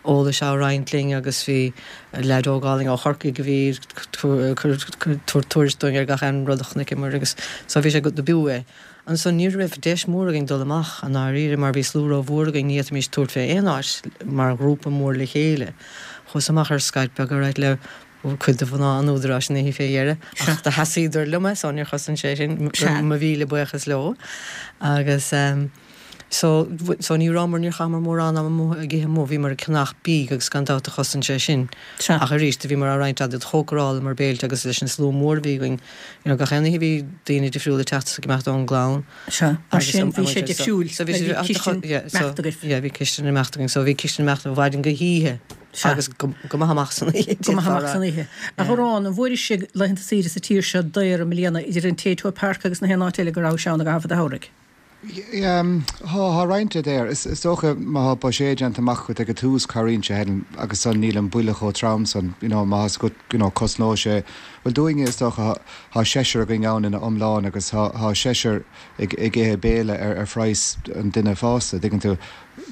S4: eolais á roinnt linn agus bhí leaid óg álainn ó Chorcaigh a bhí ag tabhairt tuairisc dúinn ar gach aon rud a chonaiceamar agus so bhí sé go, do b'fhiú é. Ansan ní raibh deis mór againn dul amach i ndáiríre mar bhí slua ró-mhór againn ní fhéadfaimis tabhairt fé aon áit mar ghrúpa mór le chéile. Chuas amach ar scailp beag alright le cuid de mhná an Údaráis an oíche fé dheireadh, ach do sheasaíodar liom é, so níor chosain sé sin, mo mhíle buíochas leo. Agus so, so ní rabhamar, níor chaitheamar mórán ama amuigh ag ithe amuigh, bhíomar ag ceannach bídh agus gan dabht do chosain sé sin. Ach arís, do bhíomar á roinnt do chócarálamar béilte agus leis an slua mór a bhí againn, you know, gach aon oíche bhí daoine difriúla ag teacht is ag imeacht ón gclann.
S1: Sea, mar sin bhí sé difriúil, mar bhí cistin imeacht agaibh.
S4: Yeah, bhí cistin imeacht againn, so bhí cistin imeacht ó mhaidin go hoíche.
S1: Sea.
S4: Agus go maith amach san oíche.
S1: Go maith amach san oíche. A Dhorán, an bhfuairis laethanta saoire sa tír seo daor i mbliana, idir an Tayto Park agus na haon áit eile go rabhais ann i gcaitheamh an tsamhraidh?
S5: Tá, tá roinnt de daor. Is dócha má tá buiséad déanta amach agat ag an tús, cabhraíonn sé, Helen, agus san níl an buille chomh trom san, you know, má tá 's agat, you know, cosnóidh sé, bhuel dúinne is dócha, tá seisear againn ann ina iomlán agus tá seisear ag ithe béile ar phraghas an duine fásta, dtuigeann tú.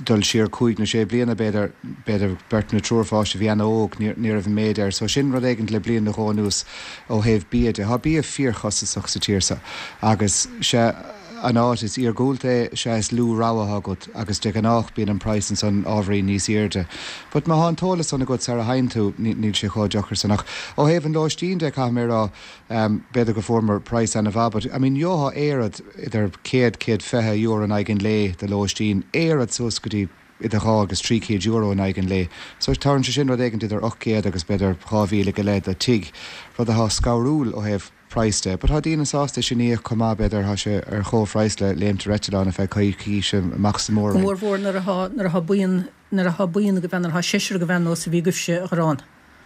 S5: dul siar cúig nó sé bliana, b'fhéidir, b'fhéidir beirt nó triúr pháiste a bhí ana-óg, ní raibh an méid air. So sin rud éigint le bliain nó dhó anuas ó thaobh bia de. Tá bia fíorchostasach sa tír seo agus sea, an áit is iargúlta é, sea is lú rogha atá agat agus de ghnách bíonn an praghas ansan ábhairín níos airde. But má tá an t-eolas san agat sara théann tú, níl sé chomh deacair san. Ach ó thaobh an lóistín de, caithfidh mé a rá, B'fhéidir go fuaireamar praghas ana-mhaith but I mean gheofá aerfort idir 100, 120 euro in aghaidh an lae do lóistín, aerfort suas go dtí idir 200 agus 300 euro in aghaidh an lae. So tabharann sé sin rud éigint idir 800 agus b'fhéidir 2,000 go leith do tigh, rud atá scanrúil ó thaobh praghas de. But tá daoine sásta sin a íoc chomh maith, b'fhéidir, tá sé ar chomhphraghas le léimt ar eitleán ar feadh coicíse amach sa
S1: Go mór mhór nuair atá, nuair atá buíon, nuair atá buíon agaibh ann, nuair atá seisear agaibh ann nós a bhí agaibhse, a Dhorán.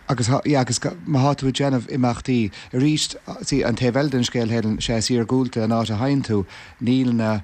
S5: Agus thá, yeah, agus má thá tú ag déanamh imeachtaí, arís, see, an taobh eile den scéal, Helen, sea is iargúlta an áit a théann tú, níl na,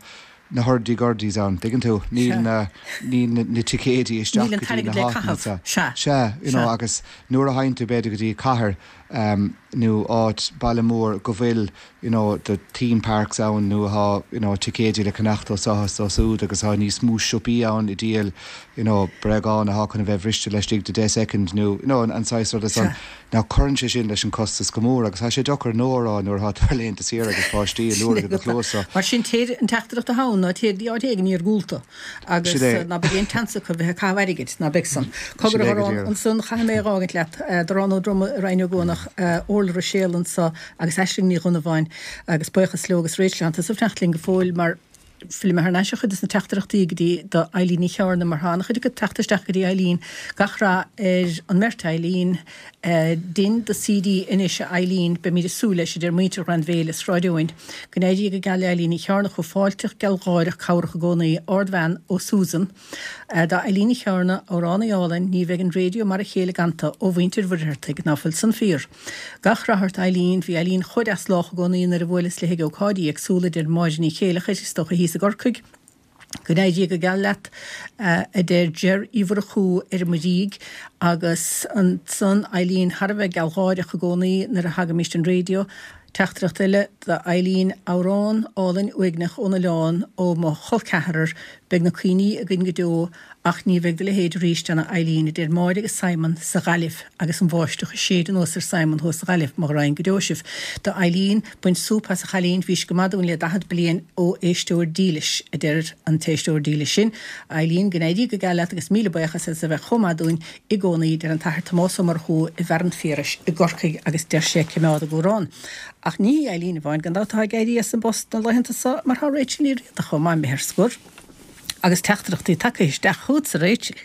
S5: na hurdy gurdies ann, dtuigeann tú, níl na, níl na, na ticéidí isteach
S1: Níl an
S5: go dtí
S1: t-airgead
S5: na
S1: le
S5: háiteanna
S1: caitheamh,
S5: seo.
S1: sea,
S5: Sea, you know,
S1: sea.
S5: agus nuair a théann tú b'fhéidir go dtí cathair, em, nó áit, baile mór go bhfuil, you know, the theme parks ann nó thá, you know, ticéidí le ceannacht ó seo is ó súd agus thá níos mó siopaí ann ag díol, you know, bréagáin athá chun a bheith bhriste laistigh de 10 soicind nó, you know, an saghas ruda san. Now cuireann sé sin leis an costas go mór agus thá sé deacair no a rá nuair athá tú ar laethanta saoire agus páistí ag liúirigh i do chluas so.
S1: Mar sin téir, an teachtaireacht athá ann ná téir dtí áit éigin iargúlta agus
S5: Sin é.
S1: ná beidh aon tseans acu bheith ag caitheamh airgid, ná beidh san. Cogar
S5: Sin
S1: a
S5: é go
S1: Dhorán,
S5: díreach.
S1: ansan chaithfidh mé a dh'fhágaint leat, Dorán Ó Droma i Rinn Ó gCuanach, Orla Ruiséal anso agus Aisling Ní Dhonnabháin agus buíochas leo agus Rachel tánn tusa ag fanacht linn go fóill mar fillfidh mé thar n-ais ar chuid des na teachtaireachtaí go dtí do Eileen Ní Chearna mar tá an-chuid acu ag teacht isteach go dtí Eileen. Gach rath ar an mbeirt Eileen. Dein do CD anois a Eileen, beimid ag súil leis, a deir muintir Ghleann Bhéile, Sráid Eoin. Go n-éirí go geal le Eileen Ní Chearna chomh fáilteach, gealgháireach, cabhrach i gcónaí. Ardbhean ó Susan. Do Eileen Ní Chearna, amhránaí álainn, ní bheidh an raidió mar a chéile gan tú, ó mhuintir Mhuircheartaigh. Ná fuil san fíor? Gach rath ort Eileen, bhí Eileen chomh deas lách i gcónaí nuair a bhuaileas léi ag ócáidí éagsúla, a deir Máire Ní Chéileachair, is dócha thíos i gCorcaigh. Go n-éirí go geal leat, a deir Ger Uí Mhurchú ar an Muirígh, agus ansan Eileen thar a bheith gealgháireach i gcónaí nuair a thagaimíst an raidió. Teachtaireacht eile d'Eileen, amhrán álainn uaigneach ón oileán ó mo chol ceathrar, beidh na cuimhní againn go deo ach ní bheidh do leithéid arís ann a Eileen, a deir Máire agus Simon sa Ghaillimh agus an bháisteach ag séideadh anuas ar Simon thuas sa Ghaillimh, mo ghraidhin go deo sibh. Do Eileen, Bain súp as a chailín, bhís go maith dúinn le 40 bliain ó éisteoir dílis, a deir an t-éisteoir dílis sin. Eileen, go n-éirí go geal leat agus míle buíochas as a bheith chomh maith dúinn i gcónaí, deir an tAthair Tomás Ó Murchú i bhFearann Phiarais i gCorcaigh agus deir sé coimeád ag amhrán. Ach ní hí Eileen amháin gan dabht atá ag éirí as an bpost na laethanta so mar tá Rachel Ní Riada chomh maith imithe ar scor agus teachtaireachtaí tagtha isteach chugatsa Rachel.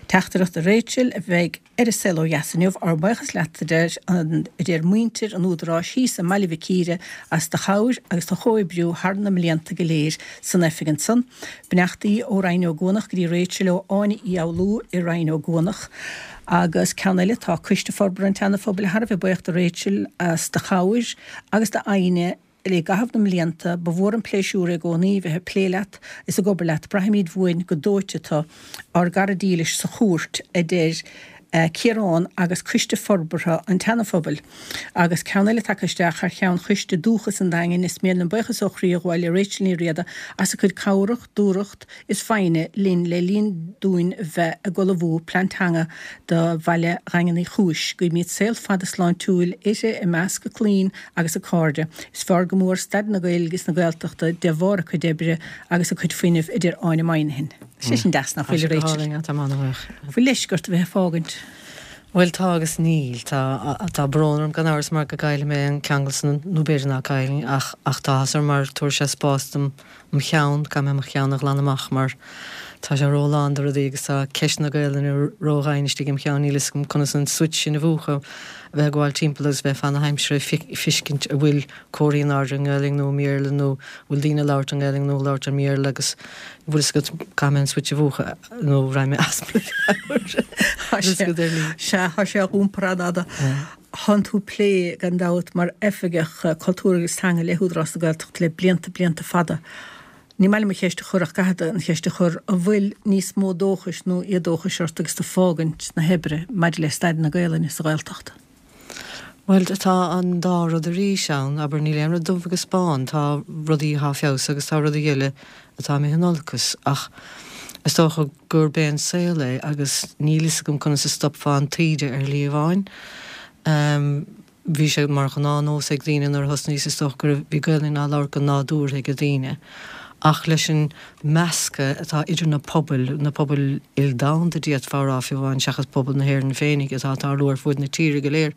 S1: Teachtaireacht do Rachel a bheidh. Ar an Saol Ó Dheas inniu, ár mbuíochas leat a deir an a deir muintir an Údaráis thíos i mBaile Mhic Íre as do chabhair agus do chomhoibriú thar na mblianta go léir san oifig ansan. Beannachtaí ó Rinn Ó gCuanach go dtí Rachel ó Áine Uí Fhoghlú i Rinn Ó gCuanach. Agus ceann eile, tá Coiste Forbartha an tSeana Phobail thar a bheith buíoch do Rachel as do chabhair agus d'fhoighne. I gcaitheamh na mblianta, ba mhór an pléisiúr é i gcónaí bheith ag plé leat is ag obair leat. Braithimid uainn go dóite tu, ár gcara dílis sa chúirt, a deir Ciarán agus Coiste Forbartha an tSeana-Phobail. Agus ceann eile tagtha isteach thar cheann Choiste Dúchas an Daingin, is mian liom buíochas ó chroí a ghabháil le Rachel Ní Riada as a cuid cabhrach, dúthracht is foighne linn le linn dúinn bheith ag ullmhú Plean Teanga do bhaile Dhaingean Uí Chúis. Guímid saol fada sláintiúil uirthi i measc a clainn agus a cairde. Is fearr go mór staid na Gaeilge is na Gaeltachta de bharr a cuid oibre agus a cuid fuinnimh, a deir Áine Moynihan. Tá sé sin deas, nach bhfuil, a Rachel?
S4: Tá mé an-bhuíoch.
S1: Bhfuil leisce ort a bheith ag fágaint?
S4: Bhuel, tá agus níl. Tá, tá brón orm gan amhras mar go gcaillfidh mé an ceangal san, nó b'fhéidir ná caillfinn, ach, ach tá áthas orm mar tabharfaidh sé spás dom mo cheann, caithfidh mé mo cheann a ghlanadh amach mar tá sé ró-lán de rudaí agus tá ceist na Gaelainne ró-dhoimhin istigh im cheann, níl fhios agam conas an switch sin a mhúchadh, a bheith ag gabháil timpeall agus bheith fan na haimsire ag feiscint an bhfuil comharthaí in airde i nGaelainn nó i mBéarla nó an bhfuil daoine ag labhairt i nGaelainn nó ag labhairt i mBéarla agus an bhfuil fhios agat, caithfidh mé an switch a mhúchadh nó raghaidh mé as mo mheabhair.
S1: Sea, tá sé á iompar an-fhada. Thánn tú ag plé, gan dabht, mar Oifigeach Cultúir agus Teanga le hÚdarás na Gaeltachta le blianta, blianta fada. Ní maith liom an cheist a chur ach caithfead an cheist a chur, an bhfuil níos mó dóchais nó éadóchais ort agus tú ag fágaint na hoibre maidir le staid na Gaelainne sa Ghaeltacht?
S4: Bhuel, tá an dá rud arís ann, abair, níl aon rud dubh agus bán, tá rudaí atá feabhsaithe agus tá rudaí eile atá imithe in olcas ach is dócha gurb é an saol é agus níl fhios agam conas a stopfá an taoide ar shlí amháin. Bhí sé mar ghnáthnós ag daoine nuair a thosnaíos is dócha go raibh, bhí Gaelainn á labhairt go nádúrtha ag daoine ach leis an meascadh atá idir na pobail, na pobail ildomhanda d'fhéadfá a rá fiú amháin seachas pobal na hÉireann féinig atá ag tarlú ar fuaid na tíre go léir,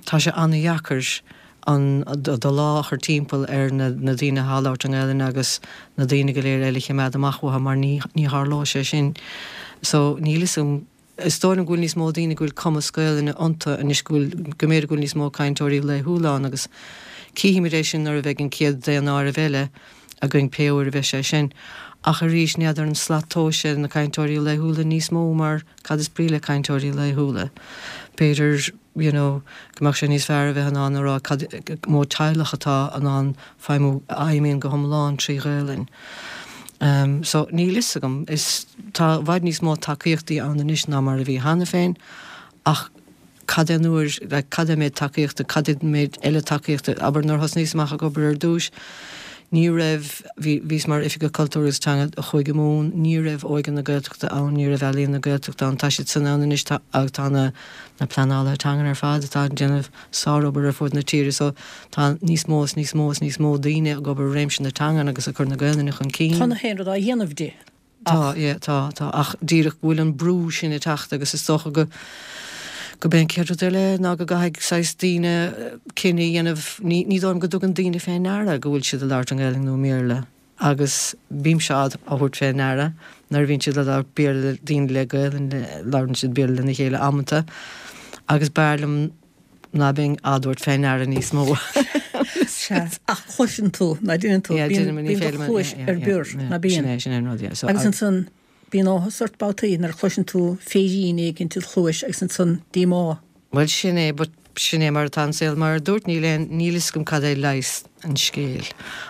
S4: tá sé an-dheacair an do lámh a chur timpeall ar na daoine atá ag labhairt i nGaelainn agus na daoine go léir eile a chimeád amach uathu mar ní ní tharlóidh sé sin. So níl fhios agam, is dóigh liom go bhfuil níos mó daoine go bhfuil cumas Gaelainne iontu anois go bhfuil, go mb'fhéidir go bhfuil níos mó cainteoirí laethúla ann agus cífimid é sin nuair a bheidh an chéad daonáireamh eile againn pé uair a bheidh sé sin. Ach arís n'fheadar an slat tomhais é na cainteoirí laethúla níos mó mar cad is brí le cainteoirí laethúla? B'fhéidir you know go mbeadh sé níos fearr a bheith in ann a rá cad mó teaghlach atá in ann feidhmiú, a fheidhmíonn go hiomlán trí Ghaelainn. Um so níl fhios agam, is tá i bhfad níos mó tacaíochtaí ann anois ná mar a bhí cheana féin ach cad é an uair, like cad é an méid tacaíochta, cad é an méid eile tacaíochta, abair nuair a thosnaíos amach ag obair ar dtúis, ní raibh, bhí, bhíos mar Oifigeach Cultúir agus Teanga do Chúige Mumhan, ní raibh Óige na Gaeltachta ann, ní raibh Ealaíon na Gaeltachta ann, tá siad san ann anois, tá, agus tá na, na pleanálaithe teangan ar fad atá ag déanamh sárobair ar fud na tíre so tá níos mó is níos mó is níos mó daoine ag obair i réimse na teangan agus ag cur na Gaelainne chun cinn.
S1: Tá na haon rud á dhéanamh di
S4: ach. Tá, yeah, tá, tá, ach díreach go bhfuil an brú sin ag teacht agus is dócha go go b'é an chéad rud eile ná go gcaithfidh saghas daoine cinneadh a dhéanamh, ní ní dóigh liom go dtugann daoine fé ndeara go bhfuil siad ag labhairt i nGaelainn nó i mBéarla. Agus bímse á thabhairt fé ndeara nuair a bhíonn siad ag labhairt Béarla le daoine le Gaelainn, labhrann siad Béarla lena chéile amanta agus b'fhearr liom ná beinn á dtabhairt fé ndeara níos mó.
S1: Sea, ach cloiseann tú, ná deineann tú, bíonn do chluais ar bior, ná bíonn?
S4: Sin é, sin é an rud, yeah.
S1: Agus ansan, bíonn áthas ort babhtaí nuair a chloiseann tú féirín éigin i do chluais agus ansan díomá.
S4: Bhuel, sin é, but sin é mar atá an saol. Mar a dúirt, níl aon, níl fhios agam cad é leigheas an scéil.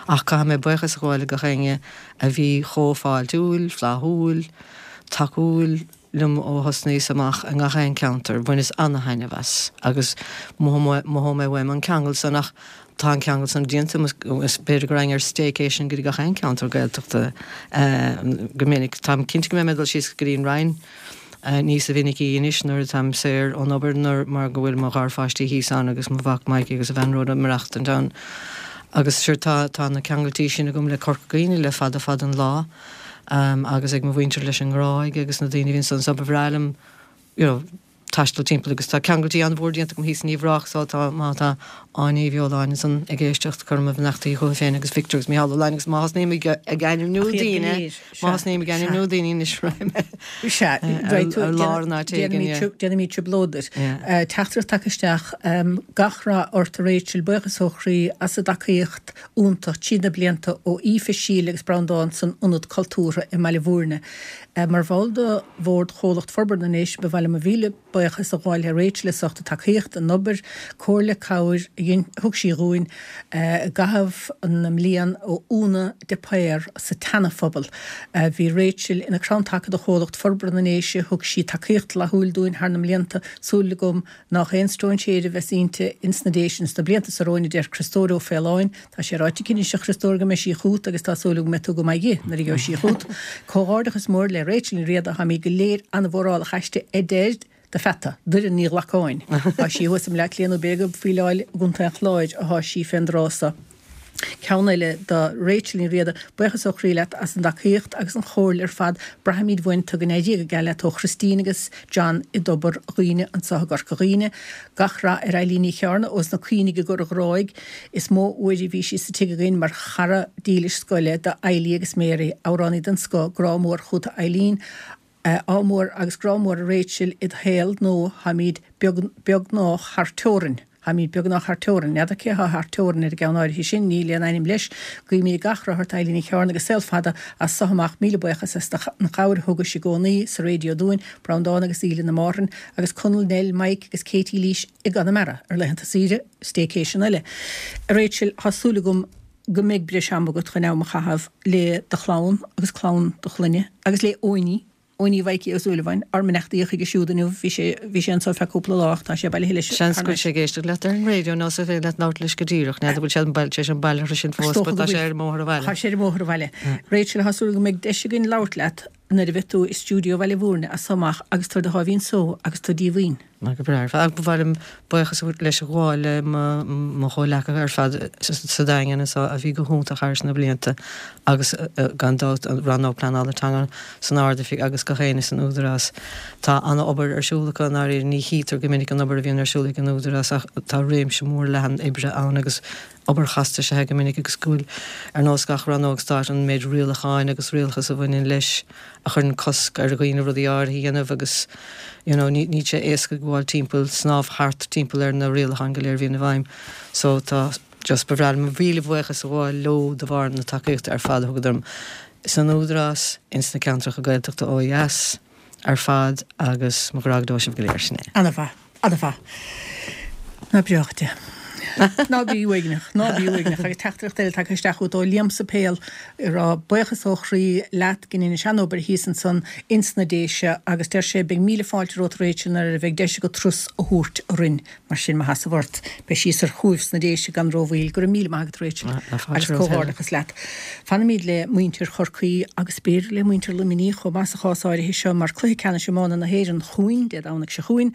S4: Ach caithfidh mé buíochas a ghabháil le gach éinne a bhí chomh fáiltiúil, flaithiúil, tacúil liom ó thosnaíos amach i ngach aon ceantar. Bhaineas ana-thaitneamh as agus mothóidh mé uaim an ceangal san ach tá an ceangal san déanta agam is b'fhéidir go raghainn ar staycation go dtí gach aon ceantar Gaeltachta go minic. Táim cinnte go mbeidh mé ag dul síos go dtí an Rinn níosa mhinicí anois nuair atáim saor ón obair nuair mar go bhfuil mo gharpháistí thíos ann agus mo mhac Mikey agus a bhean Rhoda ag maireachtaint ann. Agus sure tá tá na ceangailtí sin agam le Corca Dhuibhne le fada fada an lá agus ag mo mhuintir leis an nGráig agus na daoine a bhíonn ansan so ba bhreá liom you know taisteal timpeall agus tá ceangailtí an-mhór déanta agam thíos in Uíbh Ráthach so tá má tá Áine Uí Bheoláin ansan ag éisteacht cuirim mo bheannachtaí chuici féin agus Victor agus Micheál Ó Laighin agus má thosnaím ag ag ainmniú daoine má thosnaím ag ainmniú daoine anois raghaidh mé
S1: Sea, ar lár an áit éigin yeah. Déanfaimid trioblóid duit. Teachtaireacht tagtha isteach, Gach rath ort a Rachel, buíochas ó chroí as an dtacaíocht iontach tríd na blianta ó Aoife, Síle agus Breandán san Ionad Cultúrtha i mBaile Bhúirne. Mar bhall de Bhord Chomhlacht Forbartha na nDéise ba mhaith liom mo mhíle buíochas. buíochas a ghabháil le Rachel as ucht a tacaíocht, an obair, comhairle, cabhair a dhein, thug sí dhúinn i gcaitheamh na mblian ó Úna de Paor sa tSeana-Phobal. Bhí Rachel ina crann taca do Chomhlucht Forbartha na nDéise, thug sí tacaíocht fhlaithiúil dúinn thar na mblianta, súil agam nách aon stróinséir a bheas inti ins na Déise ins na blianta so romhainn a deir Criostóir Ó Faoláin. Tá sé ráite aici anois a Chriostóir go mbeidh sí chút agus tá súil agam go mbeidh tú go maith dhi nuair a gheobhaidh sí chút. Comhghairdeachas mór le Rachel Ní Riada, táimid go léir ana-mhórálach aisti a deir do pheata, Doireann Ní Ghlacáin. Tá sí thuas i mBleá Cliath nó b'fhéidir faoi Láil i gContae an Chláir athá sí fén dtráth so. Ceann eile do Rachel Ní Riada, buíochas ó chroí leat as an dtacaíocht agus an chomhairle ar fad, braithimid uainn tú, go n-éirí go geal leat ó Christine agus John i dTobar Dhuibhne anseo i gCorca Dhuibhne. Gach rath ar Eilín Ní Chearna ós na Caoinigh i gCora Ghráig. Is mó uair a bhí sí sa tigh againn mar chara dílis scoile do Eilí agus Mary, amhránaí den scoth, grá mór chút a Eileen. Ádh mór agus grá mór a Rachel id shaol nó tháimíd beag, beagnách thar teorainn. Tháimíd beagnách thar teorainn. N'fheadar cé athá thar teorainn ar an gceann áirithe sin, níl aon ainm leis. Guímíd gach rath ort Eilín Ní Chearna agus saol fada as so amach. Míle buíochas as an chabhair a thugais i gcónaí sa raidió dúinn, Breandán agus Aoileann i Márthain agus Conall, Nell, Mike agus Katie Lís i gConamara ar laethanta saoire, staycation eile. A Rachel, thá súil agam go mbeidh breis ama agat chun am a chaitheamh le do chlann agus clann do chlainne agus le Eoiní, Eoiní Mhaidhcí Ó Súilleabháin, ár mbeannacht Dé chuige siúd inniu, bhí sé, bhí sé anso feadh cúpla lá ach tá sé bailithe leis
S4: Seans go bhfuil sé ag éisteacht leat ar an raidió nó is féidir leat labhairt leis go díreach, n'fheadar bhfuil sé an baile, sé an baile sin fós, but tá sé ar an mbóthar abhaile.
S1: Tá sé ar an mbóthar abhaile. Rachel, tá súil go mbeidh deis againn labhairt leat nuair a bheidh tú i stiúideo Bhaile Bhúirne as so amach agus tú ar do sháimhín só agus tú díomhaoin.
S4: Go breá ar fad. Ba mhaith liom buíochas leis a ghabháil le mo chomhleacaithe ar fad sa Daingean anseo a bhí go hiontach thar na blianta agus gan dabht an Rannóg Pleanála Teanga san Ard-Oifig agus gach éinne san Údarás. Tá an-obair ar siúl acu i ndáiríre. Ní chítear go minic an obair a bhíonn ar siúl ag an Údarás ach tá réimse mór leathan oibre ann agus obair chasta is ea é go minic agus go bhfuil, ar nós gach rannóg stáit, an méid rialacháin agus rialachas a bhaineann leis a chuireann cosc ar dhaoine rudaí áirithe a dhéanamh agus you know níl sé éasca gabháil timpeall, snámh thart timpeall ar na rialacháin go léir a bhíonn i bhfeidhm. So tá just ba bhreá liom mo mhíle bhuíochas a ghabháil leo de bharr na tacaíochta ar fad a thugadar dom san Údarás, ins na ceantracha Gaeltachta ó dheas. ar fad agus mo ghrá go deo sibh go léir. Sin
S1: é. Ana-mhaith. Ana-mhaith. Ná breách de. Ná bí uaigneach. Ná bí uaigneach. Agus teachtaireacht eile tagtha isteach chugat ó Liam sa Phéil ag rá buíochas ó chroí leat gin ina sean-obair thíos ansan ins na Déise agus deir sé beidh míle fáilte romhat Rachel nuair a bheidh deis agat turas a thabhairt orainn. Mar sin, mo sheasamh ort, beidh sí soir chugaibh sna Déise gan rómhoill. Go raibh míle maith agat, Rachel, agus comhghairdeachas leat. Fanfaimid le muintir Chorcaí agus b'fhéidir le muintir Luimnigh chomh maith sa chás áirithe seo mar cluiche ceannais iomána na hÉireann chugainn Dé Domhnaigh seo chugainn.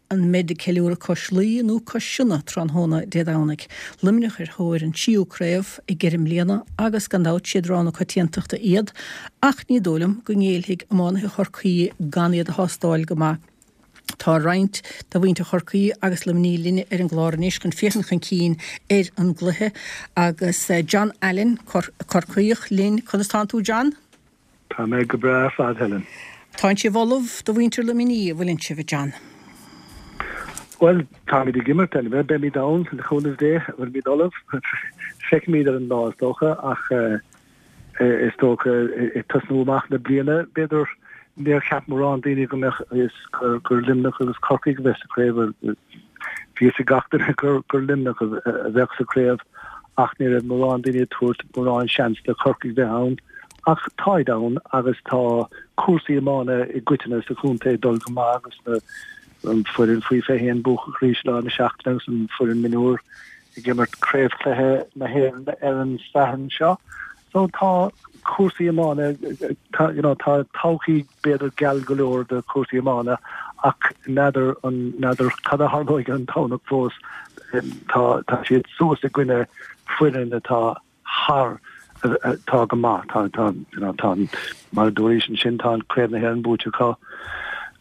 S1: An mbeid ag ceiliúradh cois Laoi nó cois Sionna tráthnóna Dé Domhnaigh? Luimneach ar thóir an tríú craobh i gceithre mbliana agus gan dabht siad rogha na coitiantachta iad ach ní dóigh liom go ngéillfidh iománaithe Chorcaí gan iad a thástáil go maith. Tá roinnt de mhuintir Chorcaí agus Luimnigh linne ar an gclár anois chun féachaint chun cinn ar an gcluiche agus John Allen, Corcaíoch, linn. Conas tánn tú, John?
S7: Tá mé go breá ar fad, Helen.
S1: Tánn sibh ullamh do mhuintir Luimnigh, an bhfuileann sibh, a John?
S7: Bhuel, táimid ag imirt, anyway. Beimid ann, le cúnamh Dé. Bhfuilimid ullamh? Feicfimid ar an lá, is dócha, ach Is dócha, ag tosnú amach na bliana, b'fhéidir, níor cheap mórán daoine go mbeadh fhios gur Luimneach agus Corcaigh a bheadh sa chraobh. Bhí fhios ag gach duine gur Luimneach a bheadh sa chraobh ach ní raibh mórán daoine ag tabhairt mórán seans do Chorcaigh bheith ann. Ach táid ann agus tá cúrsaí iomána i gcoitinne sa chontae ag dul go maith agus na an foireann faoi 21 buacach arís lá na seachtaine agus an foireann mionúr ag imirt craobhchluiche na hÉireann ar an Satharn seo. So tá cúrsaí iomána, tá, you know, tá todhchaí b'fhéidir geal go leor do chúrsaí iomána ach n'fheadar an, n'fheadar cad a tharlóidh ar an Domhnach fós. Tá, tá siad suas i gcoinne foireann atá thar, atá go maith. Tá, tá, you know, tá, mar a dúraís ansin, tá an Craobh na hÉireann buaite acu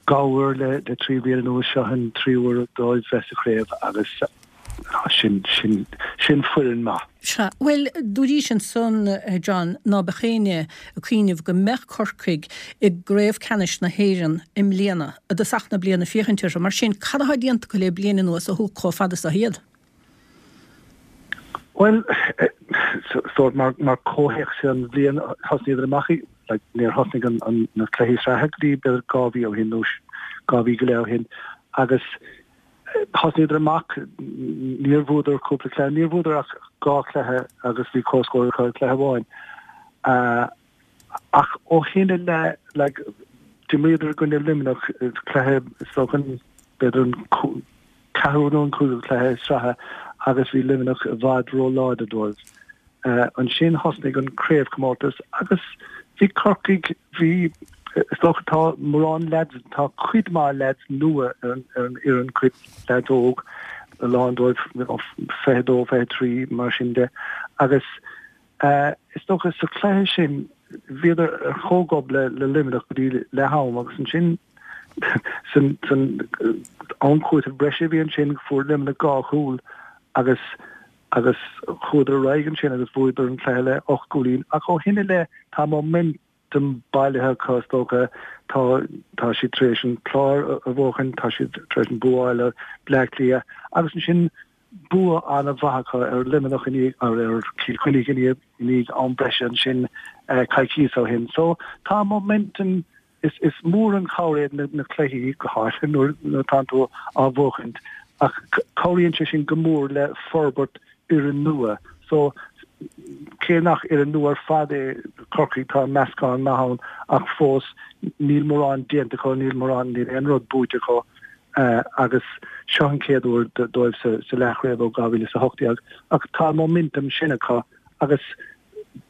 S7: dhá uair le, le trí bliana anuas, seo an tríú huair dóibh bheith sa chraobh agus Sin, sin, sin foireann maith.
S1: Sea. Bhuel, dúraís ansan, a John, ná beadh éinne ag cuimhneamh go mbeadh Corcaigh i gcraobh ceannais na hÉireann i mbliana, i dtosach na bliana féachaint orthu. Mar sin, cad atá déanta acu le bliain anuas a thug chomh fada so iad?
S7: Bhuel, sórt mar, mar comhthéacs an bhliain thosnaíodar amach í, like, níor thosnaigh an, an, na cluichí sraithe go dtí b'fhéidir 2 mhí ó shin nó 2 mhí go leith ó shin. Agus thosnaíodar amach, níor bhuadar cúpla cluiche, níor bhuadar ach 2 chluiche agus bhí comhscór acu i gcluiche amháin. Ach ó shin i leith, like, d'imríodar i gcoinne Luimneach, cluiche, is dócha, b'fhéidir an ceathrú nó an cúigiú cluiche sraithe agus bhí Luimneach i bhfad ró-láidir dóibh. Ansin thosnaigh an craobhchomórtas agus bhí Corcaigh, bhí, is dócha tá mórán leaids, tá cuid mhaith leaids nua ar an fhoireann, cuid leaids óg, a lán dóibh 22, 23 mar sin de agus is dócha sa chluiche sin bhíodar ar chomhghob le Luimneach go dtí leath am agus ansin san am cúitimh breise a bhí ansin fuair Luimneach 2 chúl agus agus chuadar ar aghaidh ansin agus bhuadar an cluiche le 8 gcúilín ach ó shin i leith tá momentum bailithe acu is dócha. Tá tá siad tar éis an Clár a bhuachan, tá siad tar éis an bua a fháil ar Bleá Cliath agus ansin bua an-mhaith acu ar Luimneach i ndiaidh, ar ar Cill Chainnigh i ndiaidh i ndiaidh am breise ansin coicíos ó shin. So tá momentum Is is mór an chabhair iad na na cluichí, go háirithe nuair nuair atánn tú á bhuachaint, ach cabhraíonn sé sin go mór le forbairt fhoireann nua. So, cé nach fhoireann nua ar fad é Corcaigh, tá meascán maith ann ach fós níl mórán déanta acu, níl mórán, níl aon rud buaite acu agus seo an chéad uair dóibh sa sa leathchraobh ó 2018 ach tá an momentum sin acu agus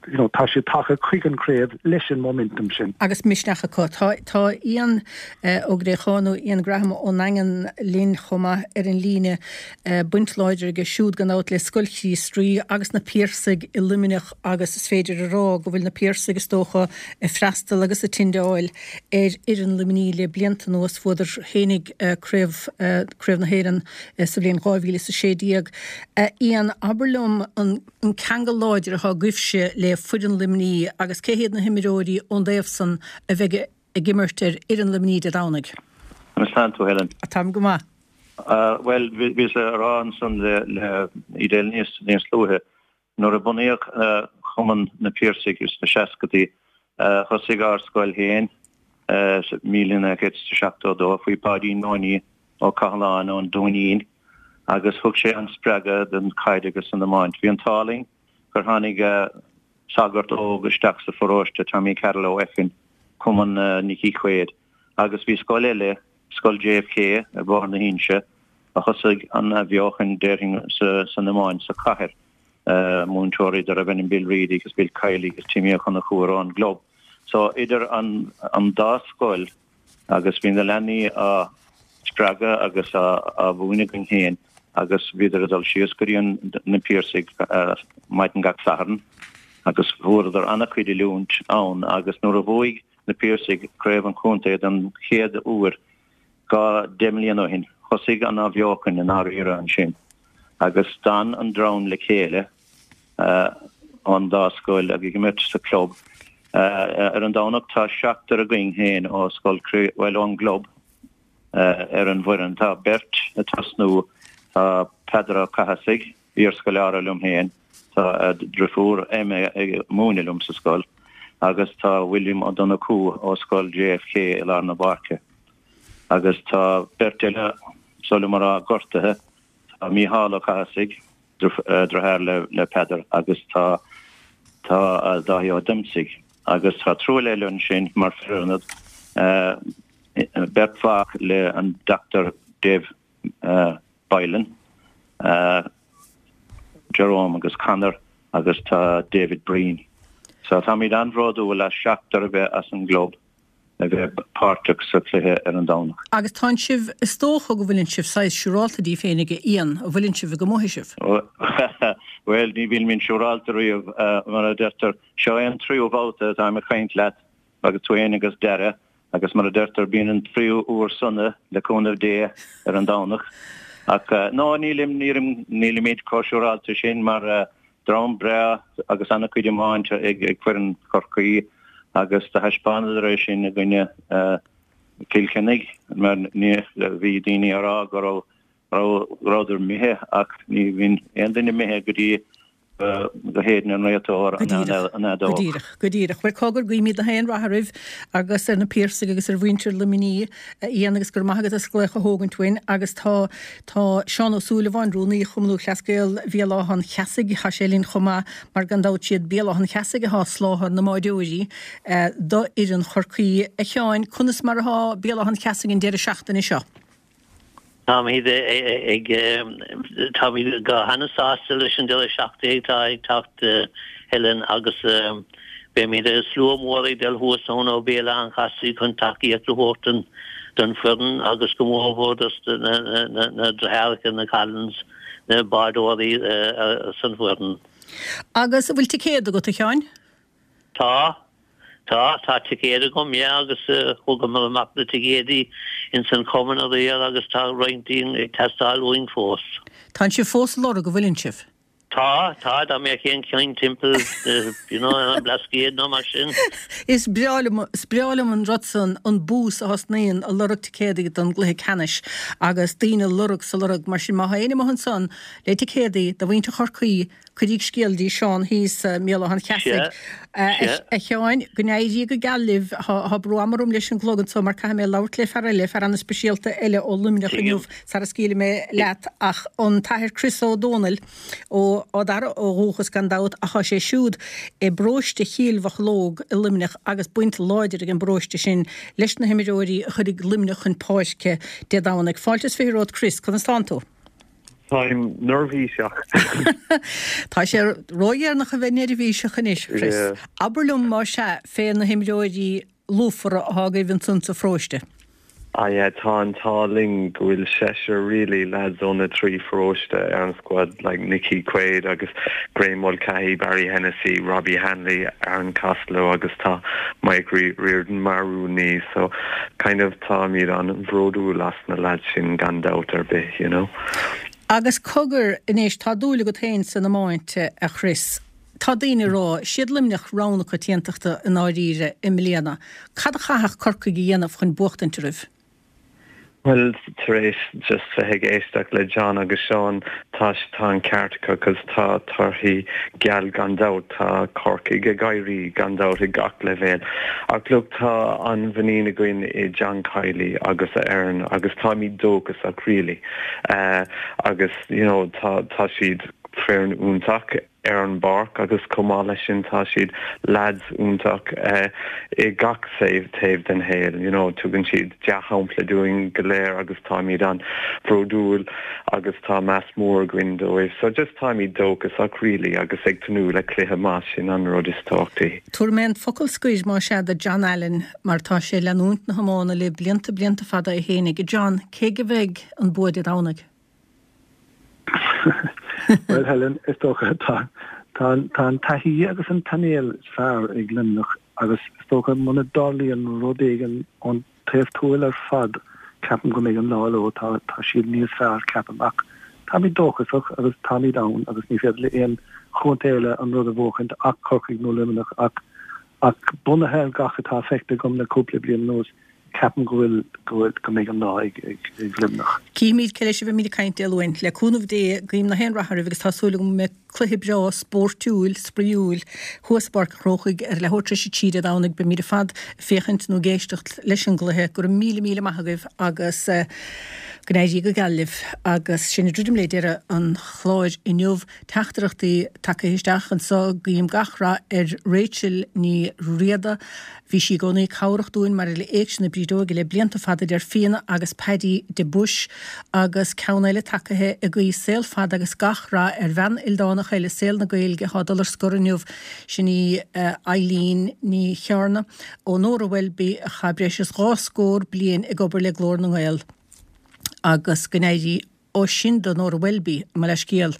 S7: you know, tá siad tagtha chuig an chraobh leis an momentum sin.
S1: Agus misneach acu. Tá, tá Ian Ó Gréacháin nó Ian Graham ón nDaingean linn chomh maith ar an líne. Baint láidir aige siúd gan dabht le Scoil Chríost Rí agus na Piarsaigh i Luimneach agus is féidir a rá go bhfuil na Piarsaigh is dócha ag freastal agus ag tindeáil ar fhoireann Luimnigh le blianta anuas. Bhuadar fhéinig Craobh, Craobh na hÉireann sa bhliain 2016. Ian, abair liom an. an ceangal láidir atá agaibhse le foireann Luimnigh agus cé hiad na himreoirí ón dtaobh san a bheidh ag imirt ar fhoireann Luimnigh Dé Domhnaigh?
S8: Conas tánn tú, Helen?
S1: Táim go maith.
S8: Bhuel, bhíos a rá ansan le Edel níos níos luaithe, nuair a bunaíodh Cumann na Piarsaigh sna seascadaí, thosaigh ár scoil féin sa 1972 faoi Pháidín Nonie Ó Cathaláin ón Dúinín agus thug sé an spreagadh don chaid agus an iomáint. Bhí an t-ádh linn gur tháinig sagart óg isteach sa pharóiste, Tommy Carroll ó Eifinn, Cumann Nicky Quaid, agus bhí scoil eile, Scoil JFK ar Bhóthar na hInse, a thosaigh an athbheochan déarfainn san iomáint sa chathair, múinteoirí darbh ainm Bill Reid agus Bill Kiely agus Timmy Ó Conchúir ón gclub. So idir an dá scoil, Agus bhí na leanaí á spreagadh agus á mhúineadh againn féin agus bhíodar ag dul síos go dtí na Piarsaigh maidin gach Satharn agus fuaireadar an-chuid oiliúint ann agus nuair a bhuaigh na Piarsaigh craobh an chontae don chéad uair 2 deich mbliana ó shin, thosaigh an athbheochan i ndáiríre ansin agus d'fhan an dream le chéile. an dá scoil ag imirt sa chlub. Ar an Domhnach tá seachtar againn féin ó scoil, bhuel ón gclub ar an bhfoireann. Tá beirt ag tosnú, tá Peadar Ó Cathasaigh, iarscoláire liom féin, tá a dhriofúr Emma ag múineadh liom sa scoil agus tá William Ó Donnchú ó scoil JFK i lár na páirce. Agus tá beirt eile, is oth liom a rá, gortaithe, tá Mícheál Ó Cathasaigh, Deartháir le Peadar agus tá tá Dáithí Ó Diomsaigh agus tá triúr eile ansin mar fir ionad, beirt mhac le an Dr Dave Boylan, Jerome agus Conor agus tá David Breen. So táimid an-bhródúil as seachtar a bheith as an gclub. a bheith páirteach sa chluiche ar an Domhnach.
S1: Agus tánn sibh, is dócha go bhfuileann sibh saghas siúrálta díbh féinig, a Ian, an bhfuileann sibh ag amuigh sibh?
S8: Bhuel, ní bhímid siúrálta riamh, mar a deirtear. Seo é an tríú babhta atáim ag caint leat, agus tú féin agus Dara, agus mar a deirtear, bíonn an tríú uair sona, le cúnamh Dé, ar an Domhnach. Ach, no, nílim, nílim, nílimid chomh siúrálta sin, mar Dream breá agus an-chuid iomáint ag foireann Chorcaí agus do thaispeánadar é sin i gcoinne Cill Chainnigh mar ní bhí daoine ag rá go raibh rabhadar imithe ach ní bhíonn aon duine imithe go dtí. Go hÉirinn an réiteoir an fheadóg.
S1: Go díreach, go díreach. Bhuel, cogar, guímid gach aon rath oraibh agus ar na Piarsaigh agus ar mhuintir Luimnigh, a Ian, agus go raibh maith agat as glaoch a thógaint uainn. Agus tá, tá Seán Ó Súilleabháin, Rúnaí Chumann Lúthchleas Gael Bhéal Átha an Cheasaigh, tá sé linn chomh maith, mar gan dabht siad Béal Átha an Cheasaigh atá ag soláthar na mbáireoirí do fhoireann Chorcaí. A Sheáin, conas mar atá Béal Átha an Cheasaigh an deireadh seachtaine seo?
S9: Táimid ag, táimid go hana-sásta leis an deireadh seachtaine atá ag teacht Helen agus beimid slua mór ag dul thuas ann ó Béal Átha an Cheasaigh chun tacaíocht a thabhairt don foireann agus go mór mhór dos na deartháireacha, na Collins, na bádóirí san
S1: bhfoireann. Agus an bhfuil ticéad agat, a Sheáin?
S9: Tá. Tá, tá ticéad agam, yeah, agus thugamar amach na ticéadaí ins an chumann aréir agus tá roinnt dínn ag teastáil uainn fós.
S1: Tánn sibh fós ag lorg, an bhfuileann sibh?
S9: Tá, tá, dá mbeadh aon cheann timpeall, you know, ar an mBlascaod nó mar sin.
S1: Is breá liom, is breá liom an rud san, an bús a thosnaíonn ag lorg ticéadaí don gcluiche ceannais agus daoine ag lorg 's ag lorg, mar sin má tá éinne amuigh ansan le ticéadaí do mhuintir Chorcaí, Cuiríg scéal dtí Seán thíos i mBéal Átha an Cheasaigh. A Sheáin, go n-éirí go geal libh. Tá brú ama orm leis an gclog anso mar caithfidh mé labhairt le fear eile, fear an-speisialta eile ó Luimneach inniu sara scaoilfidh mé leat ach an tAthair Chris Ó Dónaill ó Ard Fhearraigh ó dhúchas gan dabht ach tá sé siúd i bparóiste Chill Mocheallóg i Luimneach agus baint láidir ag an bparóiste sin leis na himreoirí a chuirfidh Luimneach chun páirce Dé Domhnaigh. Fáilte is 20 romhat Chris, conas tánn tú?
S10: Táim neirbhíseach.
S1: Tá sé ródheireanach a bheith neirbhíseach anois, a Chris. Abair liom, más ea, fé na himreoirí lúfara atá agaibh ansan sa pharóiste.
S10: Ah yeah, tá an t-ádh linn go bhfuil seisear really lads ó na trí pharóiste ar an squad, like Nicky Quaid agus Graham Mulcahy, Barry Hennessy, Robbie Hanley, Aaron Costello agus tá Mike Riordan mar rúnaí so kind of táimid an-bhródúil as na lads sin gan dabht ar bith, you know.
S1: Agus cogar, anois, tá dúil agat féin san iomáint, a Chris. Tá daoine ag rá, siad Luimneach rogha na coitiantachta i ndáiríre i mbliana. Cad a chaithfeadh Corcaigh a dhéanamh chun buachtaint oraibh?
S10: Bhuel, tar éis just bheith ag éisteacht le John agus Seán, tá tá an ceart acu 'cause tá torthaí geal gan dabht, tá Corcaigh ag éirí gan dabht ag gach leibhéal. Ach look, tá an-mhuinín againn i John Kiely agus a fhoireann agus táimid dóchasach really. Agus you know tá tá siad foireann iontach ar an bpáirc agus chomh maith leis sin tá siad lads iontach i gach taobh den shaol you know tugann siad dea-shampla dúinn go léir agus táimid an-bhródúil agus tá meas mór againn dóibh. So just táimid dóchasach really agus ag tnúth le cluiche maith, sin an rud is tábhachtaí.
S1: Tabharfaidh mé an focal scoir más ea do John Allen mar tá sé ag leanúint na hiomána le blianta blianta fada é fhéinig. John, cé aige a bheidh an bua Dé Domhnaigh?
S7: Bhuel Helen, is dócha tá tá an taithí agus an painéal is fearr ag Luimneach agus is dócha muna dtarlaíonn rud éigin ón taobh tuathail ar fad, ceapaim go mbeidh an lá leo, tá tá siad níos fearr, ceapaim, ach táimid dóchasach agus táimid ann agus ní féidir le aon chontae eile an rud a bhuachaint ach Corcaigh nó Luimneach ach ach bunaithe ar gach atá feicthe agam le cúpla bliain anuas, ceapaim go bhfuil go bhfuil go mbeidh an lá ag ag ag Luimneach.
S1: Cífimid cé leis a bheimid ag caint Dé Luain. Le cúnamh Dé, guím gach aon rath oraibh agus tá súil agam go mbeidh Cluiche breá spóirtiúil, spraíúil thuas i bPáirc an Chrócaigh ar leathuair tar éis a 3 Dé Domhnaigh. Beimid ar fad ag féachaint nó ag éisteacht leis an gcluiche. Go raibh míle míle maith agaibh agus go n-éirí go geal libh. Agus sin ag druidim le deireadh an chláir inniu. Teachtaireachtaí tagtha isteach anseo, Guím gach rath ar Rachel Ní Riada. Bhí sí i gcónaí cabhrach dúinn maidir le Éigse na Brídeoige le blianta fada a deir Fíona agus Paddy de Buis agus ceann eile tagtha ag guí saol fada agus gach rath ar bhean ildánach eile i saol na Gaeilge atá ag dul ar scor inniu, sin í Eileen Ní Chearna ó Nóra Welby a chaith breis is dhá scór bliain ag obair le Glór na nGael agus go n-éirí Ó sin do Nóra Welby, mo leithscéal,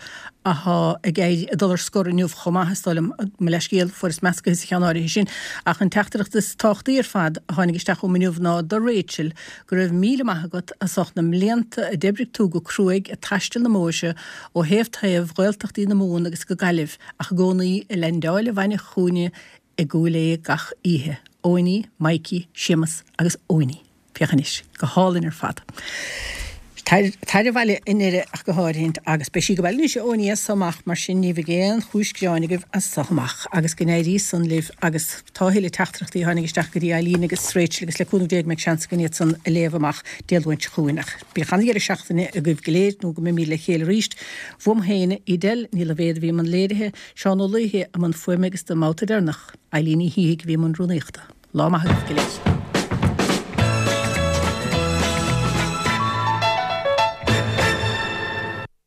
S1: athá ag éirí, ag dul ar scor inniu chomh maith, is dóigh liom, mo leithscéal, fuaireas meascaithe sa cheann áirithe sin. Ach an teachtaireacht is tábhachtaí ar fad a tháinig isteach chugam inniu ná do Rachel, go raibh míle maith agat as ucht na mblianta a d'oibrigh tú go cruaidh ag taisteal na mbóithre ó thaobh taobh Ghaeltachtaí na Mumhan agus go Gaillimh ach i gcónaí ag leaindeáil abhaile chugainne i gCúil Aodha gach oíche. Eoiní, Mikey, Séamus agus Eoiní. Féach anois. Go hálainn ar fad. Tar abhaile i nDoire ach go háirithint agus beidh sí ag gabháil anois ó as so amach mar sin ní bheidh aon chúis gearáin agaibh as so amach agus go n-éirí san libh agus tá a thuilleadh teachtaireachtaí a tháinig isteach go dtí Eileen agus Rachel agus le cúnamh Dé go mbeidh seans againn iad san a léamh amach Dé Luain seo chugainn ach bíodh an-dheireadh seachtaine agaibh go léir nó go mbeimíd le chéile arís. Uaim féin, Edel Ní Loibhéad a bhí i mbun léirithe, Seán Ó Laoithe i mbun fuaime agus don mbabhta deireanach, Eileen Ní Shíthigh a bhí i mbun rúnaíochta. Lá maith agaibh go léir.